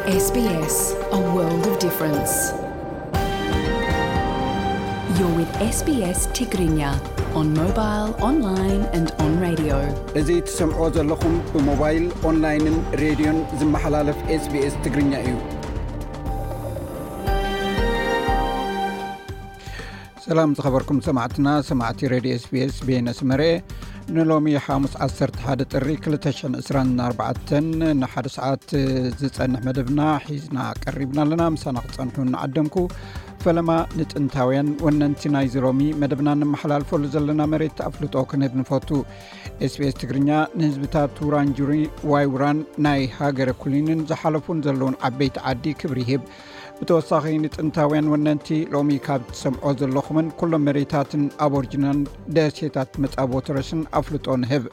S B S, a world of difference. You're with S B S Tigrinya on mobile, online and on radio. እዚ ትሰምዕዎ ዘለኹም ብሞባይል፣ ኦንላይንን ሬድዮን ዝመሓላለፍ S B S ትግርኛ እዩ። ሰላም ዝኸበርኩም ሰማዕትና፣ ሰማዕቲ ሬድዮ S B S፣ ቤነ ስመረ። ንሎሚ ሓሙስ ዓሰርተ ሓደ ጥሪ ክልተ ሽሕን ዕስራን ኣርባዕተን ንሓደ ሰዓት ዝጸንሕ መደብና ሒዝና ቀሪብና ኣለና። ምሳና ክጸንሑ እናዓደምኩ፣ ፈለማ ንጥንታውያን ወነንቲ ናይዚ ሎሚ መደብና እነመሓላልፈሉ ዘለና መሬት ኣፍልጦ ክንህብ ንፈቱ። S B S ትግርኛ ንህዝብታት ውራንጁሪ፣ ዋይ ውራን፣ ናይ ሃገረ ኩሊንን ዝሓለፉን ዘለውን ዓበይቲ ዓዲ ክብሪ ይህብ። ብተወሳኺ ንጥንታውያን ወነንቲ ሎሚ ካብ ትሰምዖ ዘለኹምን ኩሎም መሬታትን ኣቦርጅናን ደሴታት መጻብቦ ተረስን ኣፍልጦ ንህብ።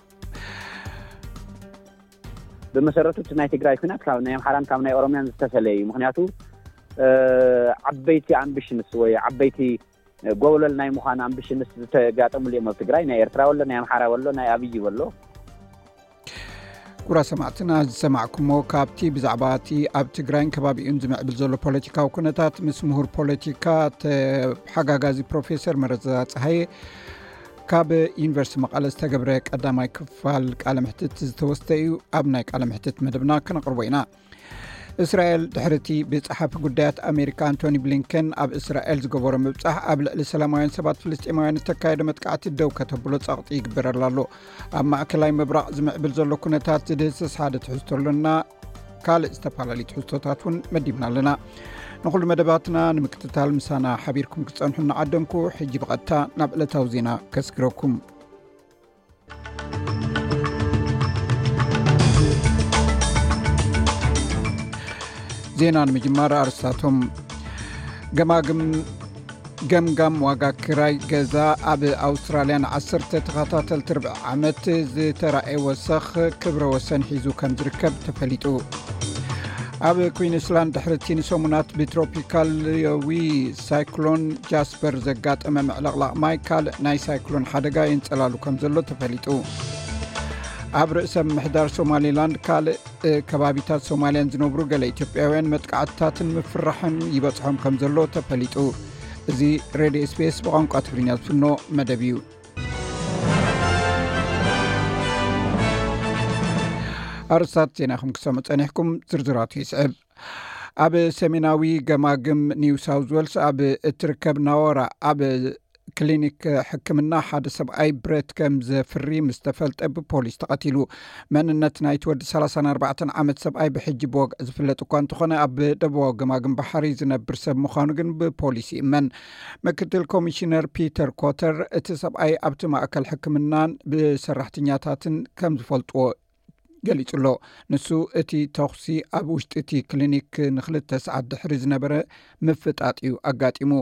ብመሰረቱ እቲ ናይ ትግራይ ኩናት ካብ ናይ ኣምሓራን ካብ ናይ ኦሮምያን ዝተፈለየ እዩ። ምኽንያቱ፣ እ፣ ዓበይቲ ኣምቢሽንስ ወይ ዓበይቲ ጎብለል ናይ ምዃን ኣምቢሽንስ ዝተጋጠሙሉ እዮም ኣብ ትግራይ። ናይ ኤርትራ ወሎ፣ ናይ ኣምሓራ ወሎ፣ ናይ ኣብይ ወሎ። ኩቡራት ሰማዕትና፣ ዝሰማዕኩሞ ካብቲ ብዛዕባ እቲ ኣብ ትግራይን ከባቢኡን ዝምዕብል ዘሎ ፖለቲካዊ ኩነታት ምስ ምሁር ፖለቲካ ተሓጋጋዚ ፕሮፌሰር መረዛ ጸሃየ ካብ ዩኒቨርሲቲ መቐለ ዝተገብረ ቀዳማይ ክፋል ቃለ ምሕትት ዝተወስደ እዩ። ኣብ ናይ ቃለ ምሕትት መደብና ክነቕርቦ ኢና። እስራኤል ድሕሪ እቲ ብጸሓፊ ጉዳያት ኣሜሪካ ኣንቶኒ ብሊንከን ኣብ እስራኤል ዝገበሮ ምብጻሕ ኣብ ልዕሊ ሰላማውያን ሰባት ፍልስጤማውያን እተካየደ መጥቃዕቲ ደው ከተብሎ ጸቕጢ ይግበረላ ኣሎ። ኣብ ማእከላይ ምብራቕ ዝምዕብል ዘሎ ኩነታት ዝድህስስ ሓደ ትሕዝቶ ኣሎና። ካልእ ዝተፈላለዩ ትሕዝቶታት እውን መዲብና ኣለና። ንኹሉ መደባትና ንምክትታል ምሳና ሓቢርኩም ክትጸንሑ እናዓደምኩ፣ ሕጂ ብቐጥታ ናብ ዕለታዊ ዜና ከስግረኩም። ዜና ንምጅማር ኣርስታቶም። ገማግም ገምጋም ዋጋ ክራይ ገዛ ኣብ ኣውስትራልያ ንዓሰርተ ተኸታተልቲ ርብዒ ዓመት ዝተራእየ ወሰኽ ክብረ ወሰን ሒዙ ከም ዝርከብ ተፈሊጡ። ኣብ ኩዊንስላንድ ድሕሪ እቲ ንሰሙናት ብትሮፒካላዊ ሳይክሎን ጃስፐር ዘጋጠመ ምዕልቕላቕ ማይ ካልእ ናይ ሳይክሎን ሓደጋ የንጸላሉ ከም ዘሎ ተፈሊጡ። ኣብ ርእሰ ምምሕዳር ሶማሌላንድ ካልእ እ፣ ከባቢታት ሶማልያን ዝነብሩ ገለ ኢትዮጵያውያን መጥቃዕትታትን ምፍርራሕን ይበጽሖም ከም ዘሎ ተፈሊጡ። እዚ ሬድዮ S B S ብቋንቋ ትግርኛ ዝፍኖ መደብ እዩ። ኣርእስታት ዜናኹም ክሰምዑ ጸኒሕኩም፣ ዝርዝራቱ ይስዕብ። ኣብ ሰሜናዊ ገማግም ኒው ሳውዝ ዌልስ ኣብ እትርከብ ናወራ ኣብ ክሊኒክ ሕክምና ሓደ ሰብኣይ ብረት ከም ዘፍሪ ምስ ተፈልጠ ብፖሊስ ተቐቲሉ። መንነት ናይቲ ወዲ ሰላሳን ኣርባዕተን ዓመት ሰብኣይ ብሕጂ ብወግዒ ዝፍለጥ እኳ እንተኾነ፣ ኣብ ደቡባዊ ገማግም ባሕሪ ዝነብር ሰብ ምዃኑ ግን ብፖሊስ ይእመን። ምክትል ኮሚሽነር ፒተር ኮተር፣ እቲ ሰብኣይ ኣብቲ ማእከል ሕክምናን ብሰራሕተኛታትን ከም ዝፈልጥዎ ገሊጹ ኣሎ። ንሱ፣ እቲ ተኹሲ ኣብ ውሽጢ እቲ ክሊኒክ ንኽልተ ሰዓት ድሕሪ ዝነበረ ምፍጣጥ እዩ ኣጋጢሙ።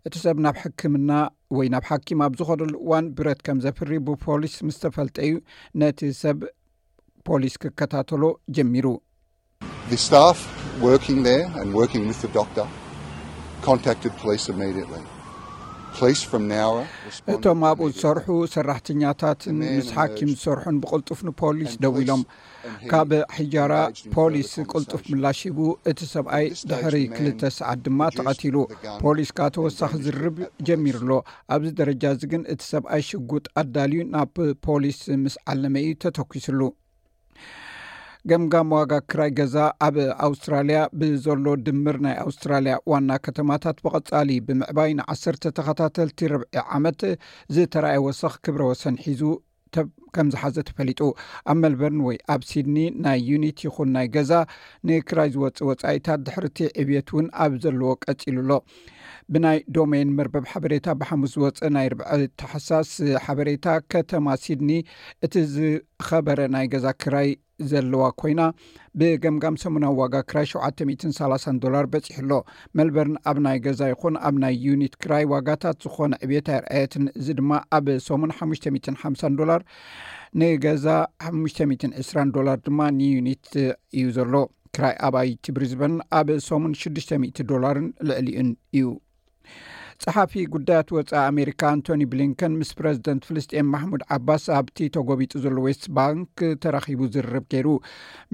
እቲ ሰብ ናብ ሕክምና ወይ ናብ ሓኪም ኣብ ዝኸደሉ እዋን ብረት ከም ዘፍሪ ብፖሊስ ምስ ተፈልጠ እዩ ነቲ ሰብ ፖሊስ ክከታተሎ ጀሚሩ። The staff working there and working with the doctor contacted police immediately. Police from Nowra responded እቶም ኣብኡ immediately. ዝሰርሑ ሰራሕተኛታትን The man ምስ ሓኪም emerged ዝሰርሑን ብቕልጡፍ ንፖሊስ and ደዊሎም። Police ካብ ሕጃራ ፖሊስ ቅልጡፍ ምላሽ ሂቡ። እቲ ሰብኣይ ድሕሪ ክልተ ሰዓት ድማ ተቐቲሉ። ፖሊስ ከዓ ተወሳኺ ዝርርብ ጀሚሩ ኣሎ። ኣብዚ ደረጃ እዚ ግን እቲ ሰብኣይ ሽጉጥ ኣዳልዩ ናብ ፖሊስ ምስ ዓለመ እዩ ተተኲስሉ። ገምጋም ዋጋ ክራይ ገዛ ኣብ ኣውስትራልያ ብዘሎ ድምር ናይ ኣውስትራልያ ዋና ከተማታት ብቐጻሊ ብምዕባይ ንዓሰርተ ተኸታተልቲ ርብዒ ዓመት ዝተራእየ ወሰኽ ክብረ ወሰን ሒዙ ከም ዝሓዘ ተፈሊጡ። ኣብ ሜልበርን ወይ ኣብ ሲድኒ ናይ ዩኒት ይኹን ናይ ገዛ ንክራይ ዝወጽእ ወጻኢታት ድሕርቲ ዕብየት እውን ኣብ ዘለዎ ቀጺሉ ኣሎ። ብናይ ዶሜን መርበብ ሓበሬታ ብሓሙስ ዝወጸ ናይ ርብዒ ታሕሳስ ሓበሬታ፣ ከተማ ሲድኒ እቲ ዝኸበረ ናይ ገዛ ክራይ ዘለዋ ኮይና፣ ብገምጋም ሰሙናዊ ዋጋ ክራይ ሸውዓተ ሚእትን ሰላሳን ዶላር በጺሑ ኣሎ። ሜልበርን ኣብ ናይ ገዛ ይኹን ኣብ ናይ ዩኒት ክራይ ዋጋታት ዝኾነ ዕብየት ኣየርኣየትን። እዚ ድማ ኣብ ሰሙን ሓሙሽተ ሚእትን ሓምሳን ዶላር ንገዛ፣ ሓሙሽተ ሚእትን ዕስራን ዶላር ድማ ንዩኒት እዩ ዘሎ። ክራይ ኣባይቲ ብሪዝበን ኣብ ሰሙን ሽዱሽተ ሚእቲ ዶላርን ልዕሊኡን እዩ። ጸሓፊ ጉዳያት ወጻኢ ኣሜሪካ ኣንቶኒ ብሊንከን ምስ ፕረዚደንት ፍልስጤም ማሕሙድ ዓባስ ኣብቲ ተጎቢጡ ዘሎ ዌስት ባንክ ተራኺቡ ዝርርብ ገይሩ።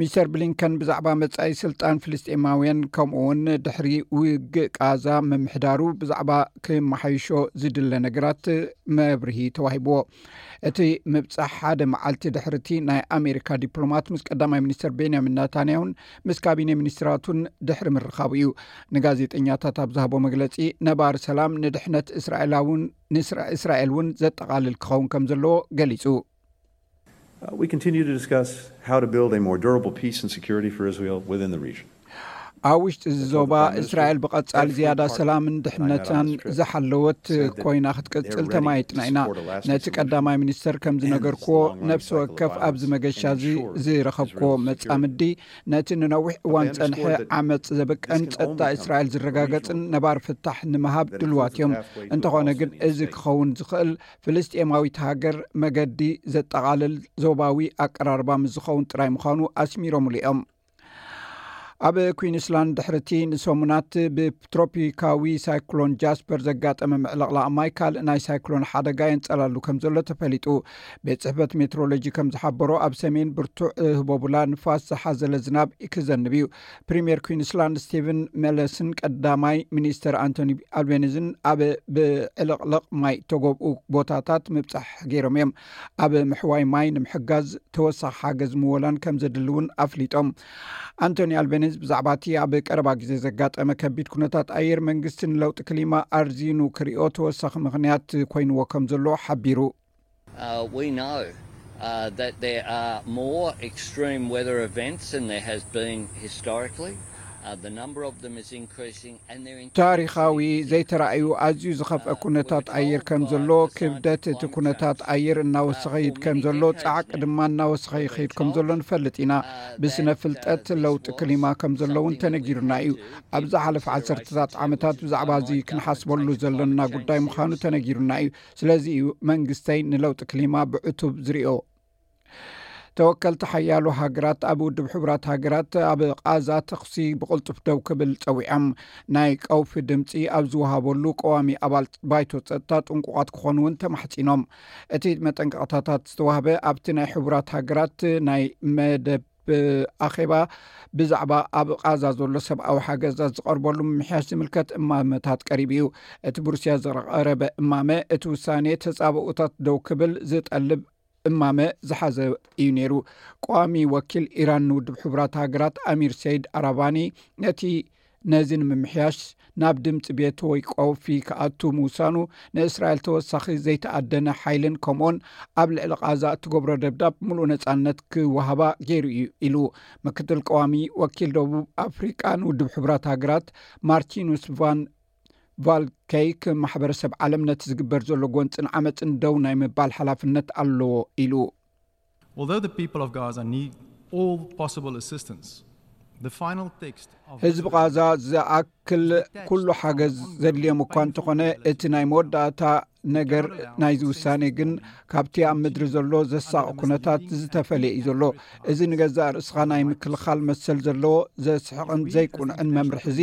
ሚስተር ብሊንከን ብዛዕባ መጻኢ ስልጣን ፍልስጤማውያን፣ ከምኡ እውን ድሕሪ ውግእ ቃዛ ምምሕዳሩ ብዛዕባ ክመሓይሾ ዝድለ ነገራት መብርሂ ተዋሂብዎ። እቲ ምብጻሕ ሓደ መዓልቲ ድሕርቲ ናይ ኣሜሪካ ዲፕሎማት ምስ ቀዳማይ ሚኒስትር ቤንያሚን ናታንያሁን ምስ ካቢነ ሚኒስትራቱን ድሕሪ ምርኻቡ እዩ። ንጋዜጠኛታት ኣብ ዝሃቦ መግለጺ፣ ነባሪ ሰላም ንድሕነት እስራኤላውን ንእስራኤል እውን ዘጠቓልል ክኸውን ከም ዘለዎ ገሊጹ። Uh, we continue to discuss how to build a more durable peace and security for Israel within the region. ኣብ ውሽጢ እዚ ዞባ እስራኤል ብቐጻሊ ዝያዳ ሰላምን ድሕነታን ዝሓለወት ኮይና ክትቅጽል ተማይጥና ኢና። ነቲ ቀዳማይ ሚኒስተር ከም ዝነገርክዎ፣ ነፍሲ ወከፍ ኣብዚ መገሻ እዚ ዝረኸብክዎ መጻምዲ ነቲ ንነዊሕ እዋን ጸንሐ ዓመጽ ዘብቅዕን ጸጥታ እስራኤል ዝረጋገጽን ነባር ፍታሕ ንምሃብ ድልዋት እዮም። እንተኾነ ግን፣ እዚ ክኸውን ዝኽእል ፍልስጤማዊት ሃገር መገዲ ዘጠቓልል ዞባዊ ኣቀራርባ ምስ ዝኸውን ጥራይ ምዃኑ ኣስሚሮምሉ እዮም። ኣብ ኩዊንስላንድ ድሕርቲ ንሰሙናት ብትሮፒካዊ ሳይክሎን ጃስፐር ዘጋጠመ ምዕልቕላቕ ማይ ካልእ ናይ ሳይክሎን ሓደጋ የንጸላሉ ከም ዘሎ ተፈሊጡ። ቤት ጽሕፈት ሜትሮሎጂ ከም ዝሓበሮ፣ ኣብ ሰሜን ብርቱዕ ህቦቡላ ንፋስ ዝሓዘለ ዝናብ ክዘንብ እዩ። ፕሪምየር ኩዊንስላንድ ስቲቨን መለስን ቀዳማይ ሚኒስተር ኣንቶኒ ኣልቤኒዝን ኣብ ብዕልቕልቕ ማይ ተጎብኡ ቦታታት ምብጻሕ ገይሮም እዮም። ኣብ ምሕዋይ ማይ ንምሕጋዝ ተወሳኺ ሓገዝ ምወላን ከም ዘድሊ እውን ኣፍሊጦም። ኣንቶኒ ኣልቤኒዝ ብዛዕባ እቲ ኣብ ቀረባ ግዜ ዘጋጠመ ከቢድ ኩነታት ኣየር፣ መንግስቲ ንለውጢ ክሊማ ኣርዚኑ ክሪኦ ተወሳኺ ምኽንያት ኮይንዎ ከም ዘሎ ሓቢሩ። Uh, we know uh, that there are more extreme weather events than there has been historically. Uh, the number of them is increasing and they're ታሪኻዊ ዘይተራእዩ ኣዝዩ ዝኸፍአ ኩነታት ኣየር ከም ዘሎ፣ ክብደት እቲ ኩነታት ኣየር እናወሰኸ ይድ ከም ዘሎ፣ ጻዕቂ ድማ እናወሰኸ ይኸይድ ከም ዘሎ ንፈልጥ ኢና። ብስነ ፍልጠት ለውጢ ክሊማ ከም ዘሎ እውን ተነጊሩና እዩ። ኣብ ዝሓለፈ ዓሰርተታት ዓመታት ብዛዕባ እዚ ክንሓስበሉ ዘለና ጉዳይ ምዃኑ ተነጊሩና እዩ። ስለዚ እዩ መንግስተይ ንለውጢ ክሊማ ብዕቱብ ዝሪኦ። ተወከልቲ ሓያሎ ሃገራት ኣብ ውድብ ሕቡራት ሃገራት ኣብ ቓዛ ተኹሲ ብቕልጡፍ ደው ክብል ጸዊዖም። ናይ ቀውፊ ድምጺ ኣብ ዝወሃበሉ ቀዋሚ ኣባል ባይቶ ጸጥታ ጥንቁቓት ክኾኑ እውን ተማሕጺኖም። እቲ መጠንቀቕታታት ዝተዋህበ ኣብቲ ናይ ሕቡራት ሃገራት ናይ መደብ ኣኼባ ብዛዕባ ኣብ ቓዛ ዘሎ ሰብኣዊ ሓገዛት ዝቐርበሉ ምምሕያሽ ዝምልከት እማመታት ቀሪቡ እዩ። እቲ ብሩስያ ዝቐረበ እማመ፣ እቲ ውሳኔ ተጻብኦታት ደው ክብል ዝጠልብ እማመ ዝሓዘ እዩ ነይሩ። ቀዋሚ ወኪል ኢራን ንውድብ ሕቡራት ሃገራት ኣሚር ሰይድ ኣራባኒ፣ ነቲ ነዚ ንምምሕያሽ ናብ ድምጺ ቤት ወይ ቀውፊ ክኣቱ ምውሳኑ፣ ንእስራኤል ተወሳኺ ዘይተኣደነ ሓይልን ከምኡውን ኣብ ልዕሊ ቓዛ እትገብሮ ደብዳብ ምሉእ ነጻነት ክወሃባ ገይሩ እዩ ኢሉ። ምክትል ቀዋሚ ወኪል ደቡብ ኣፍሪቃ ንውድብ ሕቡራት ሃገራት ማርቲኑስ ቫን ቫልከይክ፣ ማሕበረሰብ ዓለም ነቲ ዝግበር ዘሎ ጎንጽን ዓመጽን ደው ናይ ምባል ሓላፍነት ኣለዎ ኢሉ። Although the people of Gaza need all possible assistance, the final text of ህዝቢ ቓዛ ዝኣክል ኩሉ ሓገዝ ዘድልዮም እኳ እንተኾነ፣ እቲ ናይ መወዳእታ ነገር ናይዚ ውሳኔ ግን ካብቲ ኣብ ምድሪ ዘሎ ዘሳቕ ኩነታት ዝተፈለየ እዩ ዘሎ። እዚ ንገዛእ ርእስኻ ናይ ምክልኻል መሰል ዘለዎ ዘስሕቕን ዘይቁንዕን መምርሒ እዚ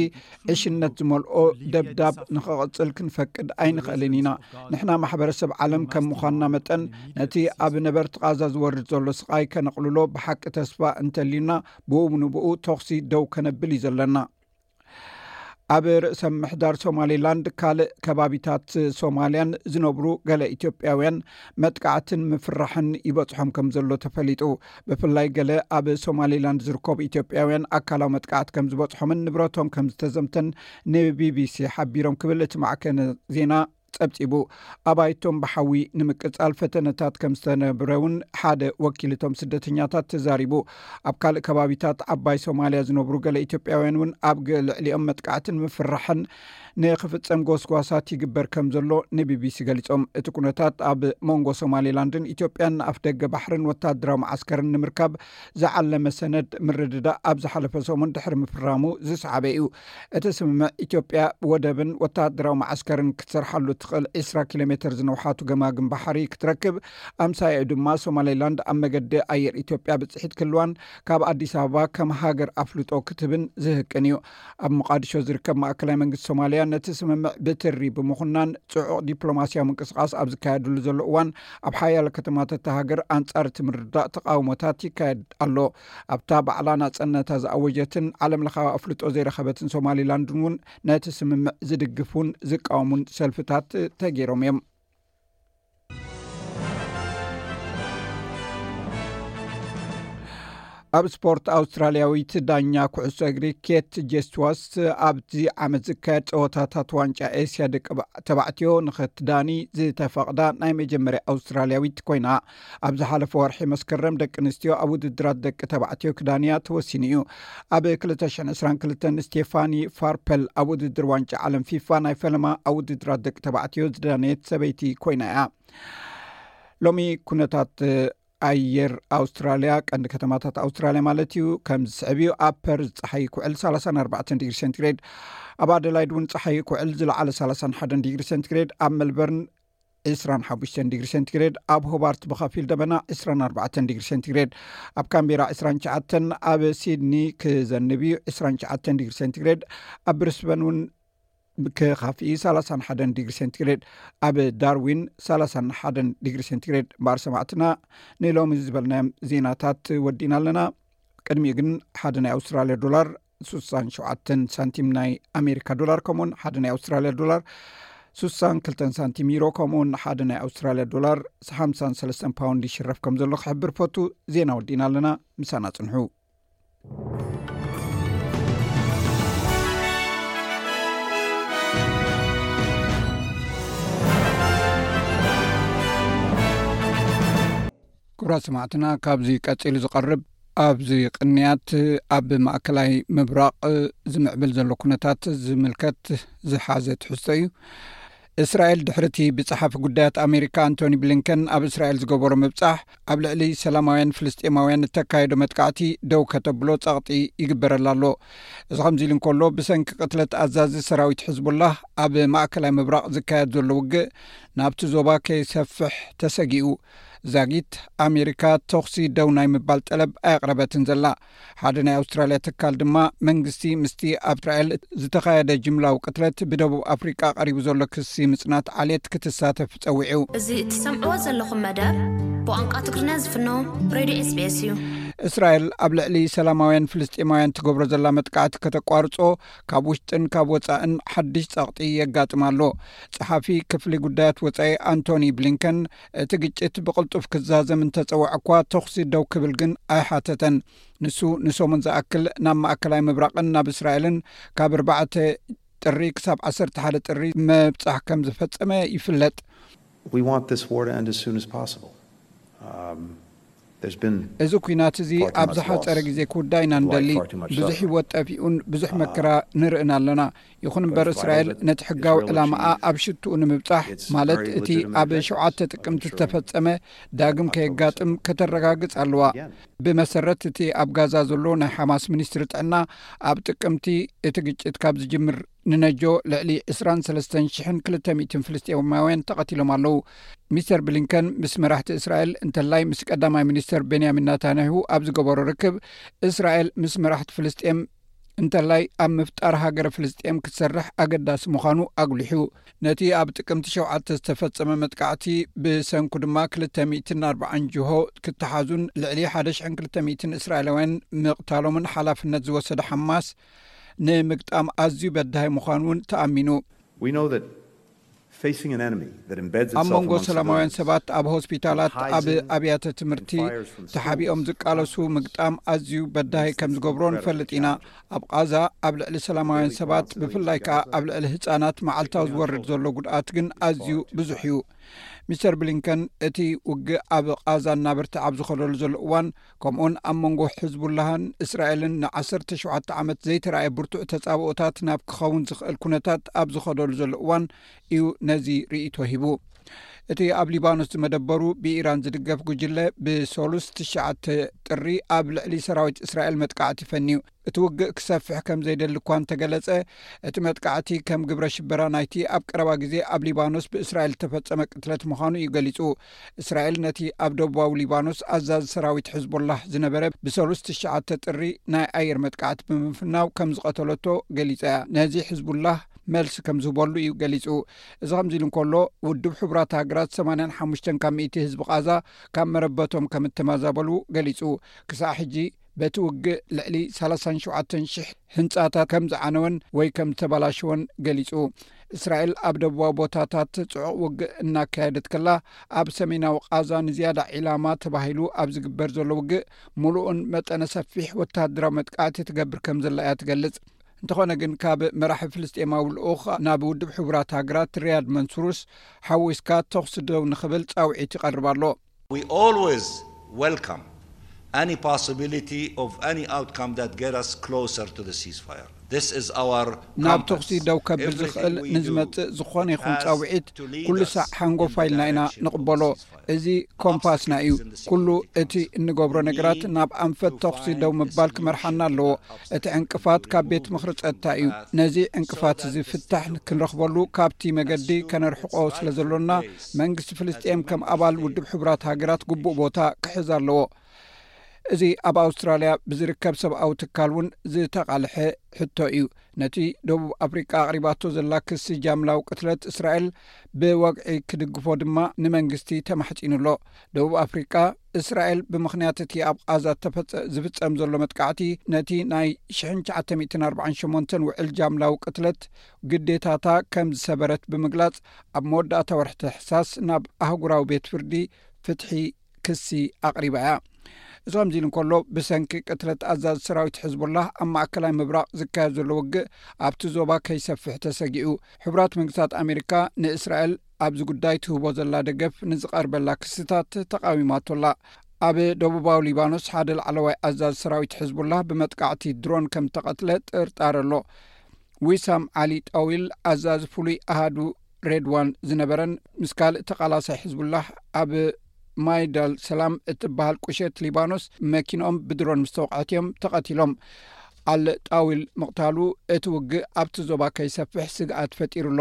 ዕሽነት ዝመልኦ ደብዳብ ንኽቕጽል ክንፈቅድ ኣይንኽእልን ኢና። ንሕና ማሕበረሰብ ዓለም ከም ምዃንና መጠን፣ ነቲ ኣብ ነበርቲ ቓዛ ዝወርድ ዘሎ ስቓይ ከነቕልሎ ብሓቂ ተስፋ እንተልዩና፣ ብኡ ንብኡ ተኹሲ ደው ከነብል እዩ ዘለና። ኣብ ርእሰ ምሕዳር ሶማሌላንድ ካልእ ከባቢታት ሶማልያን ዝነብሩ ገለ ኢትዮጵያውያን መጥቃዕትን ምፍርራሕን ይበጽሖም ከም ዘሎ ተፈሊጡ። ብፍላይ ገለ ኣብ ሶማሌላንድ ዝርከቡ ኢትዮጵያውያን ኣካላዊ መጥቃዕቲ ከም ዝበጽሖምን ንብረቶም ከም ዝተዘምተን ንቢቢሲ ሓቢሮም ክብል እቲ ማዕከነ ዜና ጸብጺቡ። ኣባይቶም ብሓዊ ንምቅጻል ፈተነታት ከም ዝተነብረ እውን ሓደ ወኪል እቶም ስደተኛታት ተዛሪቡ። ኣብ ካልእ ከባቢታት ዓባይ ሶማልያ ዝነብሩ ገለ ኢትዮጵያውያን እውን ኣብ ገ- ልዕሊኦም መጥቃዕትን ምፍርራሕን ንክፍጸም ጎስጓሳት ይግበር ከም ዘሎ ንቢቢሲ ገሊጾም። እቲ ኩነታት ኣብ መንጎ ሶማሌላንድን ኢትዮጵያን ንኣፍ ደገ ባሕርን ወታደራዊ መዓስከርን ንምርካብ ዝዓለመ ሰነድ ምርድዳእ ኣብ ዝሓለፈ ሰሙን ድሕሪ ምፍራሙ ዝሰዓበ እዩ። እቲ ስምምዕ ኢትዮጵያ ወደብን ወታደራዊ መዓስከርን ክትሰርሓሉ እትኽእል ዕስራ ኪሎ ሜትር ዝነውሓቱ ገማግም ባሕሪ ክትረክብ፣ ኣምሳያኡ ድማ ሶማሌላንድ ኣብ መገዲ ኣየር ኢትዮጵያ ብፅሒት ክህልዋን ካብ ኣዲስ ኣበባ ከም ሃገር ኣፍልጦ ክትህብን ዝህቅን እዩ። ኣብ ሞቃዲሾ ዝርከብ ማእከላይ መንግስቲ ሶማልያ ነቲ ስምምዕ ብትሪ ብምኹናን፣ ጽዑቕ ዲፕሎማስያዊ ምንቅስቓስ ኣብ ዝካየደሉ ዘሎ እዋን፣ ኣብ ሓያሎ ከተማታት እታ ሃገር ኣንጻር እቲ ምርድዳእ ተቓውሞታት ይካየድ ኣሎ። ኣብታ ባዕላ ናጽነታ ዝኣወጀትን ዓለምለኻዊ ኣፍልጦ ዘይረኸበትን ሶማሊላንድን እውን ነቲ ስምምዕ ዝድግፉን ዝቃወሙን ሰልፍታት ተገይሮም እዮም። ኣብ ስፖርት፣ ኣውስትራልያዊት ዳኛ ኩዕሶ እግሪ ኬት ጀስትዋስ ኣብዚ ዓመት ዝካየድ ጸወታታት ዋንጫ ኤስያ ደቂ ተባዕትዮ ንኽትዳኒ ዝተፈቕዳ ናይ መጀመርያ ኣውስትራልያዊት ኮይና። ኣብ ዝሓለፈ ወርሒ መስከረም ደቂ ኣንስትዮ ኣብ ውድድራት ደቂ ተባዕትዮ ክዳንያ ተወሲኑ እዩ። ኣብ ክልተ ሽሕን ዕስራን ክልተን ስቴፋኒ ፋርፐል ኣብ ውድድር ዋንጫ ዓለም ፊፋ ናይ ፈለማ ኣብ ውድድራት ደቂ ተባዕትዮ ዝዳነየት ሰበይቲ ኮይና እያ። ሎሚ ኩነታት ኣየር ኣውስትራልያ፣ ቀንዲ ከተማታት ኣውስትራልያ ማለት እዩ፣ ከም ዝስዕብ እዩ። ኣብ ፐርዝ ጸሓይ ክውዕል ሰላሳን ኣርባዕተን ዲግሪ ሴንቲግሬድ፣ ኣብ ኣደላይድ እውን ጸሓይ ክውዕል ዝለዓለ ሰላሳን ሓደን ዲግሪ ሴንቲግሬድ፣ ኣብ ሜልበርን ዕስራን ሓሙሽተን ዲግሪ ሴንቲግሬድ፣ ኣብ ሆባርት ብኸፊል ደበና ዕስራን ኣርባዕተን ዲግሪ ሴንቲግሬድ፣ ኣብ ካምቤራ ዕስራን ትሽዓተን፣ ኣብ ሲድኒ ክዘንብ እዩ ዕስራን ትሽዓተን ዲግሪ ሴንቲግሬድ፣ ኣብ ብሪስበን እውን ክኻፍኢ ሰላሳን ሓደን ዲግሪ ሴንቲግሬድ፣ ኣብ ዳርዊን ሰላሳን ሓደን ዲግሪ ሴንቲግሬድ። እምበኣር ሰማዕትና፣ ንሎሚ ዝበልናዮም ዜናታት ወዲና ኣለና። ቅድሚኡ ግን ሓደ ናይ ኣውስትራልያ ዶላር ስሳን ሸውዓተን ሳንቲም ናይ ኣሜሪካ ዶላር፣ ከምኡውን ሓደ ናይ ኣውስትራልያ ዶላር ስሳን ክልተን ሳንቲም ዩሮ፣ ከምኡውን ሓደ ናይ ኣውስትራልያ ዶላር ሓምሳን ሰለስተን ፓውንድ ይሽረፍ ከም ዘሎ ክሕብር ፈቱ። ዜና ወዲና ኣለና፣ ምሳና ጽንሑ። ክቡራት ሰማዕትና፣ ካብዚ ቀጺሉ ዝቐርብ ኣብዚ ቅንያት ኣብ ማእከላይ ምብራቕ ዝምዕብል ዘሎ ኩነታት ዝምልከት ዝሓዘ ትሕዝቶ እዩ። እስራኤል ድሕሪ እቲ ብጸሓፊ ጉዳያት ኣሜሪካ ኣንቶኒ ብሊንከን ኣብ እስራኤል ዝገበሮ ምብጻሕ፣ ኣብ ልዕሊ ሰላማውያን ፍልስጤማውያን እተካየዶ መጥቃዕቲ ደው ከተብሎ ጸቕጢ ይግበረላ ኣሎ። እዚ ከምዚ ኢሉ እንከሎ፣ ብሰንኪ ቅትለት ኣዛዚ ሰራዊት ሕዝቡላህ ኣብ ማእከላይ ምብራቕ ዝካየድ ዘሎ ውግእ ናብቲ ዞባ ከይሰፍሕ ተሰጊኡ። ዛጊት ኣሜሪካ ተኹሲ ደው ናይ ምባል ጠለብ ኣየቕረበትን ዘላ። ሓደ ናይ ኣውስትራልያ ትካል ድማ፣ መንግስቲ ምስቲ ኣብ እስራኤል ዝተኻየደ ጅምላዊ ቅትለት ብደቡብ ኣፍሪቃ ቀሪቡ ዘሎ ክሲ ምጽናት ዓሌት ክትሳተፍ ጸዊዑ። እዚ እትሰምዕዎ ዘለኹም መደብ ብቋንቋ ትግርኛ ዝፍኖ ሬድዮ ኤስቢኤስ እዩ። እስራኤል ኣብ ልዕሊ ሰላማውያን ፍልስጤማውያን ትገብሮ ዘላ መጥቃዕቲ ከተቋርጾ፣ ካብ ውሽጥን ካብ ወጻእን ሓድሽ ጸቕጢ የጋጥም ኣሎ። ጸሓፊ ክፍሊ ጉዳያት ወጻኢ ኣንቶኒ ብሊንከን፣ እቲ ግጭት ብቕልጡፍ ክዛዘም እንተጸውዐ እኳ፣ ተኹሲ ደው ክብል ግን ኣይሓተተን። ንሱ ንሰሙን ዝኣክል ናብ ማእከላይ ምብራቕን ናብ እስራኤልን ካብ ኣርባዕተ ጥሪ ክሳብ ዓሰርተ ሓደ ጥሪ ምብጻሕ ከም ዝፈጸመ ይፍለጥ። We want this war to end as soon as possible. Um, there's been እዚ ኲናት እዚ far too ኣብ much ዝሓጸረ loss ግዜ ክውዳእ ኢና of life, ንደሊ። Far too much ብዙሕ suffering. ህይወት ጠፊኡን ብዙሕ መከራ ንርእን ኣለና። ይኹን እምበር፣ እስራኤል ነቲ ሕጋዊ ዕላማኣ ኣብ ሽትኡ ንምብጻሕ፣ ማለት እቲ ኣብ ሸውዓተ ጥቅምቲ ዝተፈጸመ ዳግም ከየጋጥም ከተረጋግጽ ኣለዋ። ብመሰረት እቲ ኣብ ጋዛ ዘሎ ናይ ሓማስ ሚኒስትሪ ጥዕና፣ ኣብ ጥቅምቲ እቲ ግጭት ካብ ዝጅምር ንነጆ ልዕሊ ዕስራን ሰለስተን ሽሕን ክልተ ሚእትን ፍልስጤማውያን ተቐቲሎም ኣለዉ። ሚስተር ብሊንከን ምስ መራሕቲ እስራኤል እንተላይ ምስ ቀዳማይ ሚኒስተር ቤንያሚን ናታንያሁ ኣብ ዝገበሮ ርክብ፣ እስራኤል ምስ መራሕቲ ፍልስጤም እንተላይ ኣብ ምፍጣር ሃገረ ፍልስጤም ክትሰርሕ ኣገዳሲ ምዃኑ ኣጉሊሑ። ነቲ ኣብ ጥቅምቲ ሸውዓተ ዝተፈጸመ መጥቃዕቲ ብሰንኩ ድማ ክልተ ሚእትን ኣርባዓን ጅሆ ክተሓዙን ልዕሊ ሓደ ሽሕን ክልተ ሚእትን እስራኤላውያን ምቕታሎምን ሓላፍነት ዝወሰደ ሓማስ ንምግጣም ኣዝዩ በዳሂ ምዃኑ እውን ተኣሚኑ። We know that facing an enemy that embeds ኣብ itself መንጎ amongst ሰላማውያን civilians ሰባት ኣብ ሆስፒታላት፣ ኣብ ኣብያተ ትምህርቲ ተሓቢኦም ዝቃለሱ ምግጣም ኣዝዩ በዳሂ ከም ዝገብሮ ንፈልጥ ኢና። ኣብ ቃዛ ኣብ ልዕሊ ሰላማውያን ሰባት፣ ብፍላይ ከኣ ኣብ ልዕሊ ህጻናት፣ መዓልታዊ ዝወርድ ዘሎ ጉድኣት ግን ኣዝዩ ብዙሕ እዩ። ሚስተር ብሊንከን፣ እቲ ውግእ ኣብ ቃዛ እናበርትዐ ኣብ ዝኸደሉ ዘሎ እዋን፣ ከምኡውን ኣብ መንጎ ሕዝቡላህን እስራኤልን ንዓሰርተ ሸውዓተ ዓመት ዘይተራእየ ብርቱዕ ተጻብኦታት ናብ ክኸውን ዝኽእል ኩነታት ኣብ ዝኸደሉ ዘሎ እዋን እዩ ነዚ ርእይቶ ሂቡ። እቲ ኣብ ሊባኖስ ዝመደበሩ ብኢራን ዝድገፍ ጉጅለ ብሰሉስ ትሽዓተ ጥሪ ኣብ ልዕሊ ሰራዊት እስራኤል መጥቃዕቲ ፈንዩ። እቲ ውግእ ክሰፍሕ ከም ዘይደሊ እኳ እንተገለጸ፣ እቲ መጥቃዕቲ ከም ግብረ ሽበራ ናይቲ ኣብ ቀረባ ግዜ ኣብ ሊባኖስ ብእስራኤል ዝተፈጸመ ቅትለት ምዃኑ እዩ ገሊጹ። እስራኤል ነቲ ኣብ ደቡባዊ ሊባኖስ ኣዛዚ ሰራዊት ሕዝቦላህ ዝነበረ ብሰሉስ ትሽዓተ ጥሪ ናይ ኣየር መጥቃዕቲ ብምፍናው ከም ዝቐተለቶ ገሊጻ እያ። ነዚ ሕዝቡላህ መልሲ ከም ዝህበሉ እዩ ገሊጹ። እዚ ከምዚ ኢሉ እንከሎ፣ ውድብ ሕቡራት ሃገራት ሰማንያን ሓሙሽተን ካብ ሚእቲ ህዝቢ ቃዛ ካብ መረበቶም ከም እተመዛበሉ ገሊጹ። ክሳዕ ሕጂ በቲ ውግእ ልዕሊ ሰላሳን ሸውዓተን ሽሕ ህንጻታት ከም ዝዓነወን ወይ ከም ዝተበላሸወን ገሊጹ። እስራኤል ኣብ ደቡባዊ ቦታታት ጽዑቕ ውግእ እናካየደት ከላ፣ ኣብ ሰሜናዊ ቃዛ ንዝያዳ ዒላማ ተባሂሉ ኣብ ዝግበር ዘሎ ውግእ፣ ምሉእን መጠነ ሰፊሕ ወተሃደራዊ መጥቃዕቲ ትገብር ከም ዘላ እያ ትገልጽ። እንተኾነ ግን፣ ካብ መራሒ ፍልስጤማዊ ልኡኽ ናብ ውድብ ሕቡራት ሃገራት ሪያድ መንሱርስ ሓዊስካ ተኹሲ ደው ንኽብል ጻውዒት ይቐርብ ኣሎ። We always welcome any possibility of any outcome that get us closer to the ceasefire. This is our ናብ compass. ተኹሲ ደው ከብል ዝኽእል Everything we do ንዝመጽእ ዝኾነ ይኹን has ጻውዒት to lead ኩሉ us ሳዕ ሓንጎፋ in the ኢልና ኢና direction of ንቕበሎ። ceasefire. እዚ ኮምፓስና እዩ። ኩሉ እቲ እንገብሮ ነገራት ናብ ኣንፈት ተኹሲ ደው ምባል ክመርሓና ኣለዎ። እቲ ዕንቅፋት ካብ ቤት ምኽሪ ጸጥታ እዩ። ነዚ ዕንቅፋት እዚ ፍታሕ ክንረኽበሉ ካብቲ መገዲ ከነርሕቆ ስለ ዘሎና፣ መንግስቲ ፍልስጤም ከም ኣባል ውድብ ሕቡራት ሃገራት ግቡእ ቦታ ክሕዝ ኣለዎ። እዚ ኣብ ኣውስትራልያ ብዝርከብ ሰብኣዊ ትካል እውን ዝተቓልሐ ሕቶ እዩ። ነቲ ደቡብ ኣፍሪቃ ኣቕሪባቶ ዘላ ክሲ ጃምላዊ ቅትለት እስራኤል ብወግዒ ክድግፎ ድማ ንመንግስቲ ተማሕጺኑ ኣሎ። ደቡብ ኣፍሪቃ፣ እስራኤል ብምኽንያት እቲ ኣብ ቓዛ ተፈጸ-፣ ዝፍጸም ዘሎ መጥቃዕቲ፣ ነቲ ናይ ሽሕን ትሽዓተ ሚእትን ኣርባዓን ሸሞንተን ውዕል ጃምላዊ ቅትለት ግዴታታ ከም ዝሰበረት ብምግላጽ፣ ኣብ መወዳእታ ወርሒ ታሕሳስ ናብ ኣህጉራዊ ቤት ፍርዲ ፍትሒ ክሲ ኣቕሪባ እያ። እዚ ከምዚ ኢሉ እንከሎ፣ ብሰንኪ ቅትለት ኣዛዚ ሰራዊት ሕዝቡላህ ኣብ ማእከላይ ምብራቕ ዝካየድ ዘሎ ውግእ ኣብቲ ዞባ ከይሰፍሕ ተሰጊኡ። ሕቡራት መንግስታት ኣሜሪካ ንእስራኤል ኣብዚ ጉዳይ ትህቦ ዘላ ደገፍ ንዝቐርበላ ክስታት ተቓዊማቶ ኣላ። ኣብ ደቡባዊ ሊባኖስ ሓደ ላዕለዋይ ኣዛዚ ሰራዊት ሕዝቡላህ ብመጥቃዕቲ ድሮን ከም ተቐትለ ጥርጣረ ኣሎ። ዊሳም ዓሊ ጣዊል፣ ኣዛዚ ፍሉይ ኣሃዱ ሬድዋን ዝነበረን ምስ ካልእ ተቓላሳይ ሕዝቡላህ ኣብ ማይዳል ሰላም እትበሃል ቁሸት ሊባኖስ መኪንኦም ብድሮን ምስ ተወቕዐት እዮም ተቐቲሎም። ኣል ጣዊል ምቕታሉ እቲ ውግእ ኣብቲ ዞባ ከይሰፍሕ ስግኣት ፈጢሩ ኣሎ።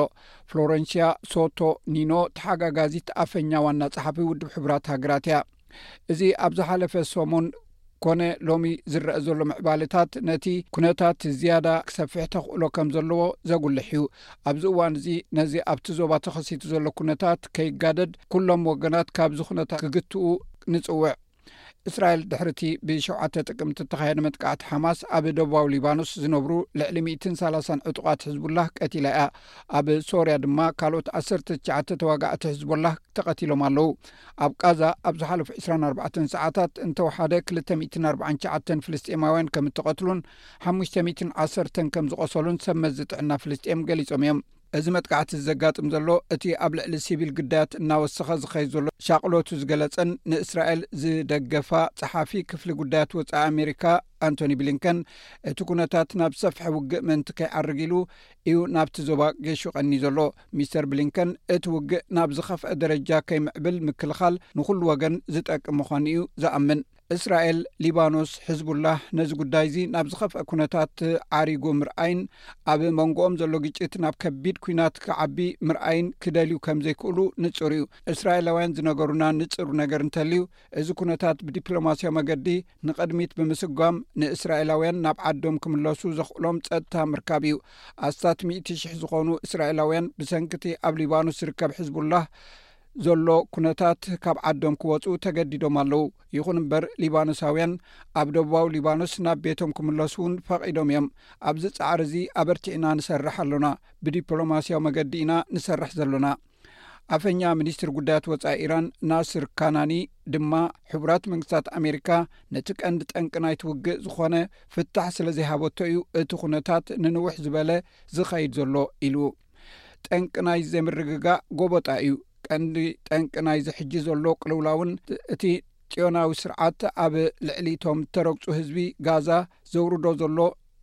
ፍሎረንሲያ ሶቶ ኒኖ፣ ተሓጋጋዚት ኣፈኛ ዋና ጸሓፊ ውድብ ሕቡራት ሃገራት እያ። እዚ ኣብ ዝሓለፈ ሰሙን ኮነ ሎሚ ዝረአ ዘሎ ምዕባለታት፣ ነቲ ኩነታት ዝያዳ ክሰፍሕ ተኽእሎ ከም ዘለዎ ዘጉልሕ እዩ። ኣብዚ እዋን እዚ፣ ነዚ ኣብቲ ዞባ ተኸሲቱ ዘሎ ኩነታት ከይጋደድ፣ ኩሎም ወገናት ካብዚ ኩነታት ክግትኡ ንጽውዕ። እስራኤል፣ ድሕሪ እቲ ብሸውዓተ ጥቅምቲ እተኻየደ መጥቃዕቲ ሓማስ፣ ኣብ ደቡባዊ ሊባኖስ ዝነብሩ ልዕሊ ሚእትን ሰላሳን ዕጡቓት ሕዝቡላህ ቀቲላ እያ። ኣብ ሶርያ ድማ ካልኦት ዓሰርተ ትሽዓተ ተዋጋእቲ ሕዝቡላህ ተቐቲሎም ኣለዉ። ኣብ ቃዛ ኣብ ዝሓለፉ ዕስራን ኣርባዕተን ሰዓታት እንተወሓደ ክልተ ሚእትን ኣርባዓን ትሽዓተን ፍልስጤማውያን ከም እተቐትሉን ሓሙሽተ ሚእትን ዓሰርተን ከም ዝቖሰሉን ሰብ መዚ ጥዕና ፍልስጤም ገሊጾም እዮም። እዚ መጥቃዕቲ ዘጋጥም ዘሎ፣ እቲ ኣብ ልዕሊ ሲቪል ግዳያት እናወሰኸ ዝኸይድ ዘሎ ሻቕሎቱ ዝገለጸን ንእስራኤል ዝደገፋ ጸሓፊ ክፍሊ ጉዳያት ወጻኢ ኣሜሪካ ኣንቶኒ ብሊንከን፣ እቲ ኩነታት ናብ ሰፍሐ ውግእ ምእንቲ ከይዓርግ ኢሉ እዩ ናብቲ ዞባ ገሹ ቀኒ ዘሎ። ሚስተር ብሊንከን፣ እቲ ውግእ ናብ ዝኸፍአ ደረጃ ከይምዕብል ምክልኻል ንኹሉ ወገን ዝጠቅም ምዃኑ እዩ ዝኣምን። እስራኤል፣ ሊባኖስ፣ ሕዝቡላህ ነዚ ጉዳይ እዚ ናብ ዝኸፍአ ኩነታት ዓሪጉ ምርኣይን ኣብ መንጎኦም ዘሎ ግጭት ናብ ከቢድ ኲናት ክዓቢ ምርኣይን ክደልዩ ከም ዘይክእሉ ንጹር እዩ። እስራኤላውያን ዝነገሩና ንጹር ነገር እንተልዩ፣ እዚ ኩነታት ብዲፕሎማስያዊ መገዲ ንቕድሚት ብምስጓም፣ ንእስራኤላውያን ናብ ዓዶም ክምለሱ ዘኽእሎም ጸጥታ ምርካብ እዩ። ኣስታት ሚእቲ ሽሕ ዝኾኑ እስራኤላውያን ብሰንኪ እቲ ኣብ ሊባኖስ ዝርከብ ሕዝቡላህ ዘሎ ኩነታት ካብ ዓዶም ክወጹ ተገዲዶም ኣለዉ። ይኹን እምበር፣ ሊባኖሳውያን ኣብ ደቡባዊ ሊባኖስ ናብ ቤቶም ክምለሱ እውን ፈቒዶም እዮም። ኣብዚ ጻዕሪ እዚ ኣበርቲዕና ንሰርሕ ኣሎና። ብዲፕሎማስያዊ መገዲ ኢና ንሰርሕ ዘሎና። ኣፈኛ ሚኒስትሪ ጉዳያት ወጻኢ ኢራን ናስር ካናኒ ድማ፣ ሕቡራት መንግስታት ኣሜሪካ ነቲ ቀንዲ ጠንቂ ናይቲ ውግእ ዝኾነ ፍታሕ ስለ ዘይሃበቶ እዩ እቲ ኩነታት ንንውሕ ዝበለ ዝኸይድ ዘሎ ኢሉ። ጠንቂ ናይ ዘይምርግጋእ ጎበጣ እዩ። ቀንዲ ጠንቂ ናይዚ ሕጂ ዘሎ ቅልውላውን እቲ ጽዮናዊ ስርዓት ኣብ ልዕሊ እቶም እተረግጹ ህዝቢ ጋዛ ዘውርዶ ዘሎ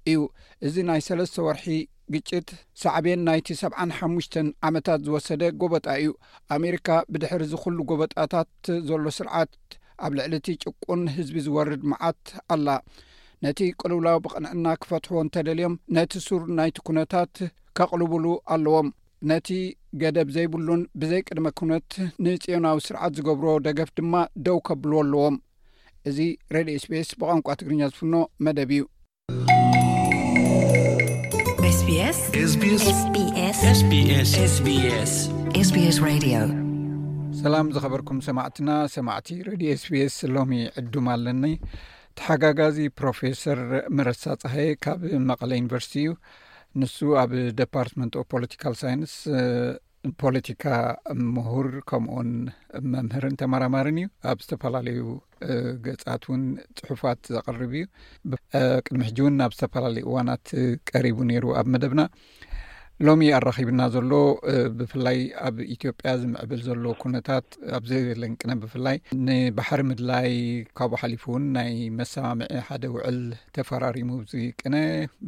እዩ። እዚ ናይ ሰለስተ ወርሒ ግጭት ሳዕቤን ናይቲ ሰብዓን ሓሙሽተን ዓመታት ዝወሰደ ጎበጣ እዩ። ኣሜሪካ ብድሕሪ እዚ ኩሉ ጎበጣታት ዘሎ ስርዓት ኣብ ልዕሊ እቲ ጭቁን ህዝቢ ዝወርድ መዓት ኣላ። ነቲ ቅልውላው ብቕንዕና ክፈትሕዎ እንተደልዮም ነቲ ሱር ናይቲ ኩነታት ከቕልቡሉ ኣለዎም። ነቲ ገደብ ዘይብሉን ብዘይ ቅድመ ኩነት ንጽዮናዊ ስርዓት ዝገብሮ ደገፍ ድማ ደው ከብልዎ ኣለዎም። እዚ ሬድዮ ኤስቢኤስ ብቋንቋ ትግርኛ ዝፍኖ መደብ እዩ። SBS SBS SBS SBS SBS SBS Radio። ሰላም ዝኸበርኩም ሰማዕትና፣ ሰማዕቲ ሬድዮ ኤስቢኤስ፣ ሎሚ ዕዱም ኣለኒ። ተሓጋጋዚ ፕሮፌሰር መረሳ ጸሃየ ካብ መቐለ ዩኒቨርሲቲ እዩ። ንሱ ኣብ ዲፓርትመንት ኦፍ ፖለቲካል ሳይንስ ፖለቲካ ምሁር፣ ከምኡውን መምህርን ተመራማርን እዩ። ኣብ ዝተፈላለዩ ገጻት እውን ጽሑፋት ዘቕርብ እዩ። ቅድሚ ሕጂ እውን ኣብ ዝተፈላለዩ እዋናት ቀሪቡ ነይሩ ኣብ መደብና። ሎሚ ኣራኺብና ዘሎ ብፍላይ ኣብ ኢትዮጵያ ዝምዕብል ዘሎ ኩነታት፣ ኣብ ዘየለን ቅነ ብፍላይ ንባሕሪ ምድላይ፣ ካብኡ ሓሊፉ እውን ናይ መሰማምዒ ሓደ ውዕል ተፈራሪሙ፣ እዚ ቅነ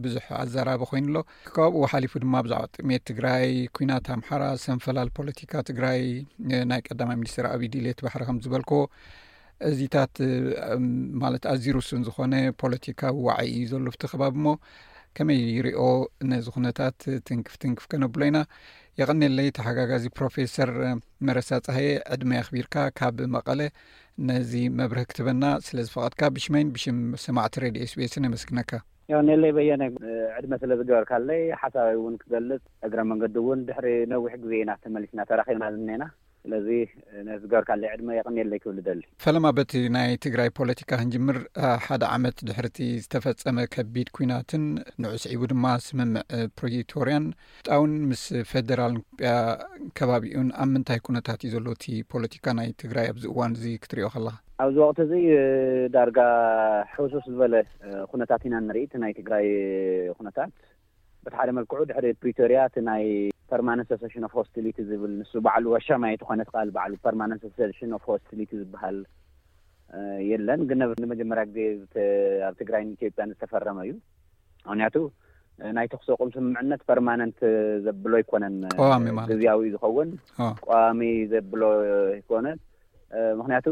ብዙሕ ኣዘራቢ ኮይኑ ኣሎ። ካብኡ ሓሊፉ ድማ ብዛዕባ ጥሜት ትግራይ፣ ኩናት ኣምሓራ፣ ሰንፈላል ፖለቲካ ትግራይ፣ ናይ ቀዳማይ ሚኒስትር ኣብይ ድሌት ባሕሪ ከም ዝበልኮ፣ እዚታት ማለት ኣዝዩ ርሱን ዝኾነ ፖለቲካዊ ዋዒ እዩ ዘሎ ኣብቲ ከባቢ። እሞ ከመይ ይሪኦ ነዚ ኩነታት? ትንክፍ ትንክፍ ከነብሎ ኢና። የቐኔለይ ተሓጋጋዚ ፕሮፌሰር መረሳ ጸሃየ፣ ዕድመ ኣኽቢርካ ካብ መቐለ ነዚ መብርህ ክትበና ስለ ዝፈቐድካ ብሽመይን ብሽም ሰማዕቲ ሬድዮ ኤስቢኤስን የመስግነካ። ያው ኔለይ በየነ፣ ዕድመ ስለ ዝገበርካለይ ሓሳበይ እውን ክገልጽ፣ እግረ መንገዲ እውን ድሕሪ ነዊሕ ግዜ ኢና ተመሊስና ተራኺብና ዝኔና። ስለዚ ነዚ ዝገበርካለይ ዕድመ የቐኔለይ ክብል እደሊ። ፈለማ በቲ ናይ ትግራይ ፖለቲካ ክንጅምር፣ ሓደ ዓመት ድሕርቲ ዝተፈጸመ ከቢድ ኲናትን ንዑ ስዒቡ ድማ ስምምዕ ፕሪቶርያን ጣውን ምስ ፌደራል ኢትዮጵያ ከባቢኡን ኣብ ምንታይ ኩነታት እዩ ዘሎ እቲ ፖለቲካ ናይ ትግራይ ኣብዚ እዋን እዚ ክትሪኦ ከለኻ? ኣብዚ ወቕቲ እዚ ዳርጋ ሕውሱስ ዝበለ ኩነታት ኢና ንርኢ። እቲ ናይ ትግራይ ኩነታት በቲ ሓደ መልክዑ ድሕሪ ፕሪቶርያ እቲ ናይ ፐርማነንት ሰሰሽን ኦፍ ሆስቲሊቲ ዝብል ንሱ ባዕሉ ኣሻማይ ዝኾነ ቃል ባዕሉ ፐርማነንት ሰሰሽን ኦፍ ሆስቲሊቲ ዝበሃል የለን። ግን ንመጀመርያ ግዜ ኣብ ትግራይን ኢትዮጵያን ዝተፈረመ እዩ። ምክንያቱ ናይ ተኩስ ኣቁም ስምምዕነት ፐርማነንት ዘብሎ ኣይኮነን። ቀዋሚ ማለት። ግዝያዊ ዝኸውን፣ ቀዋሚ ዘብሎ ኣይኮነን። ምክንያቱ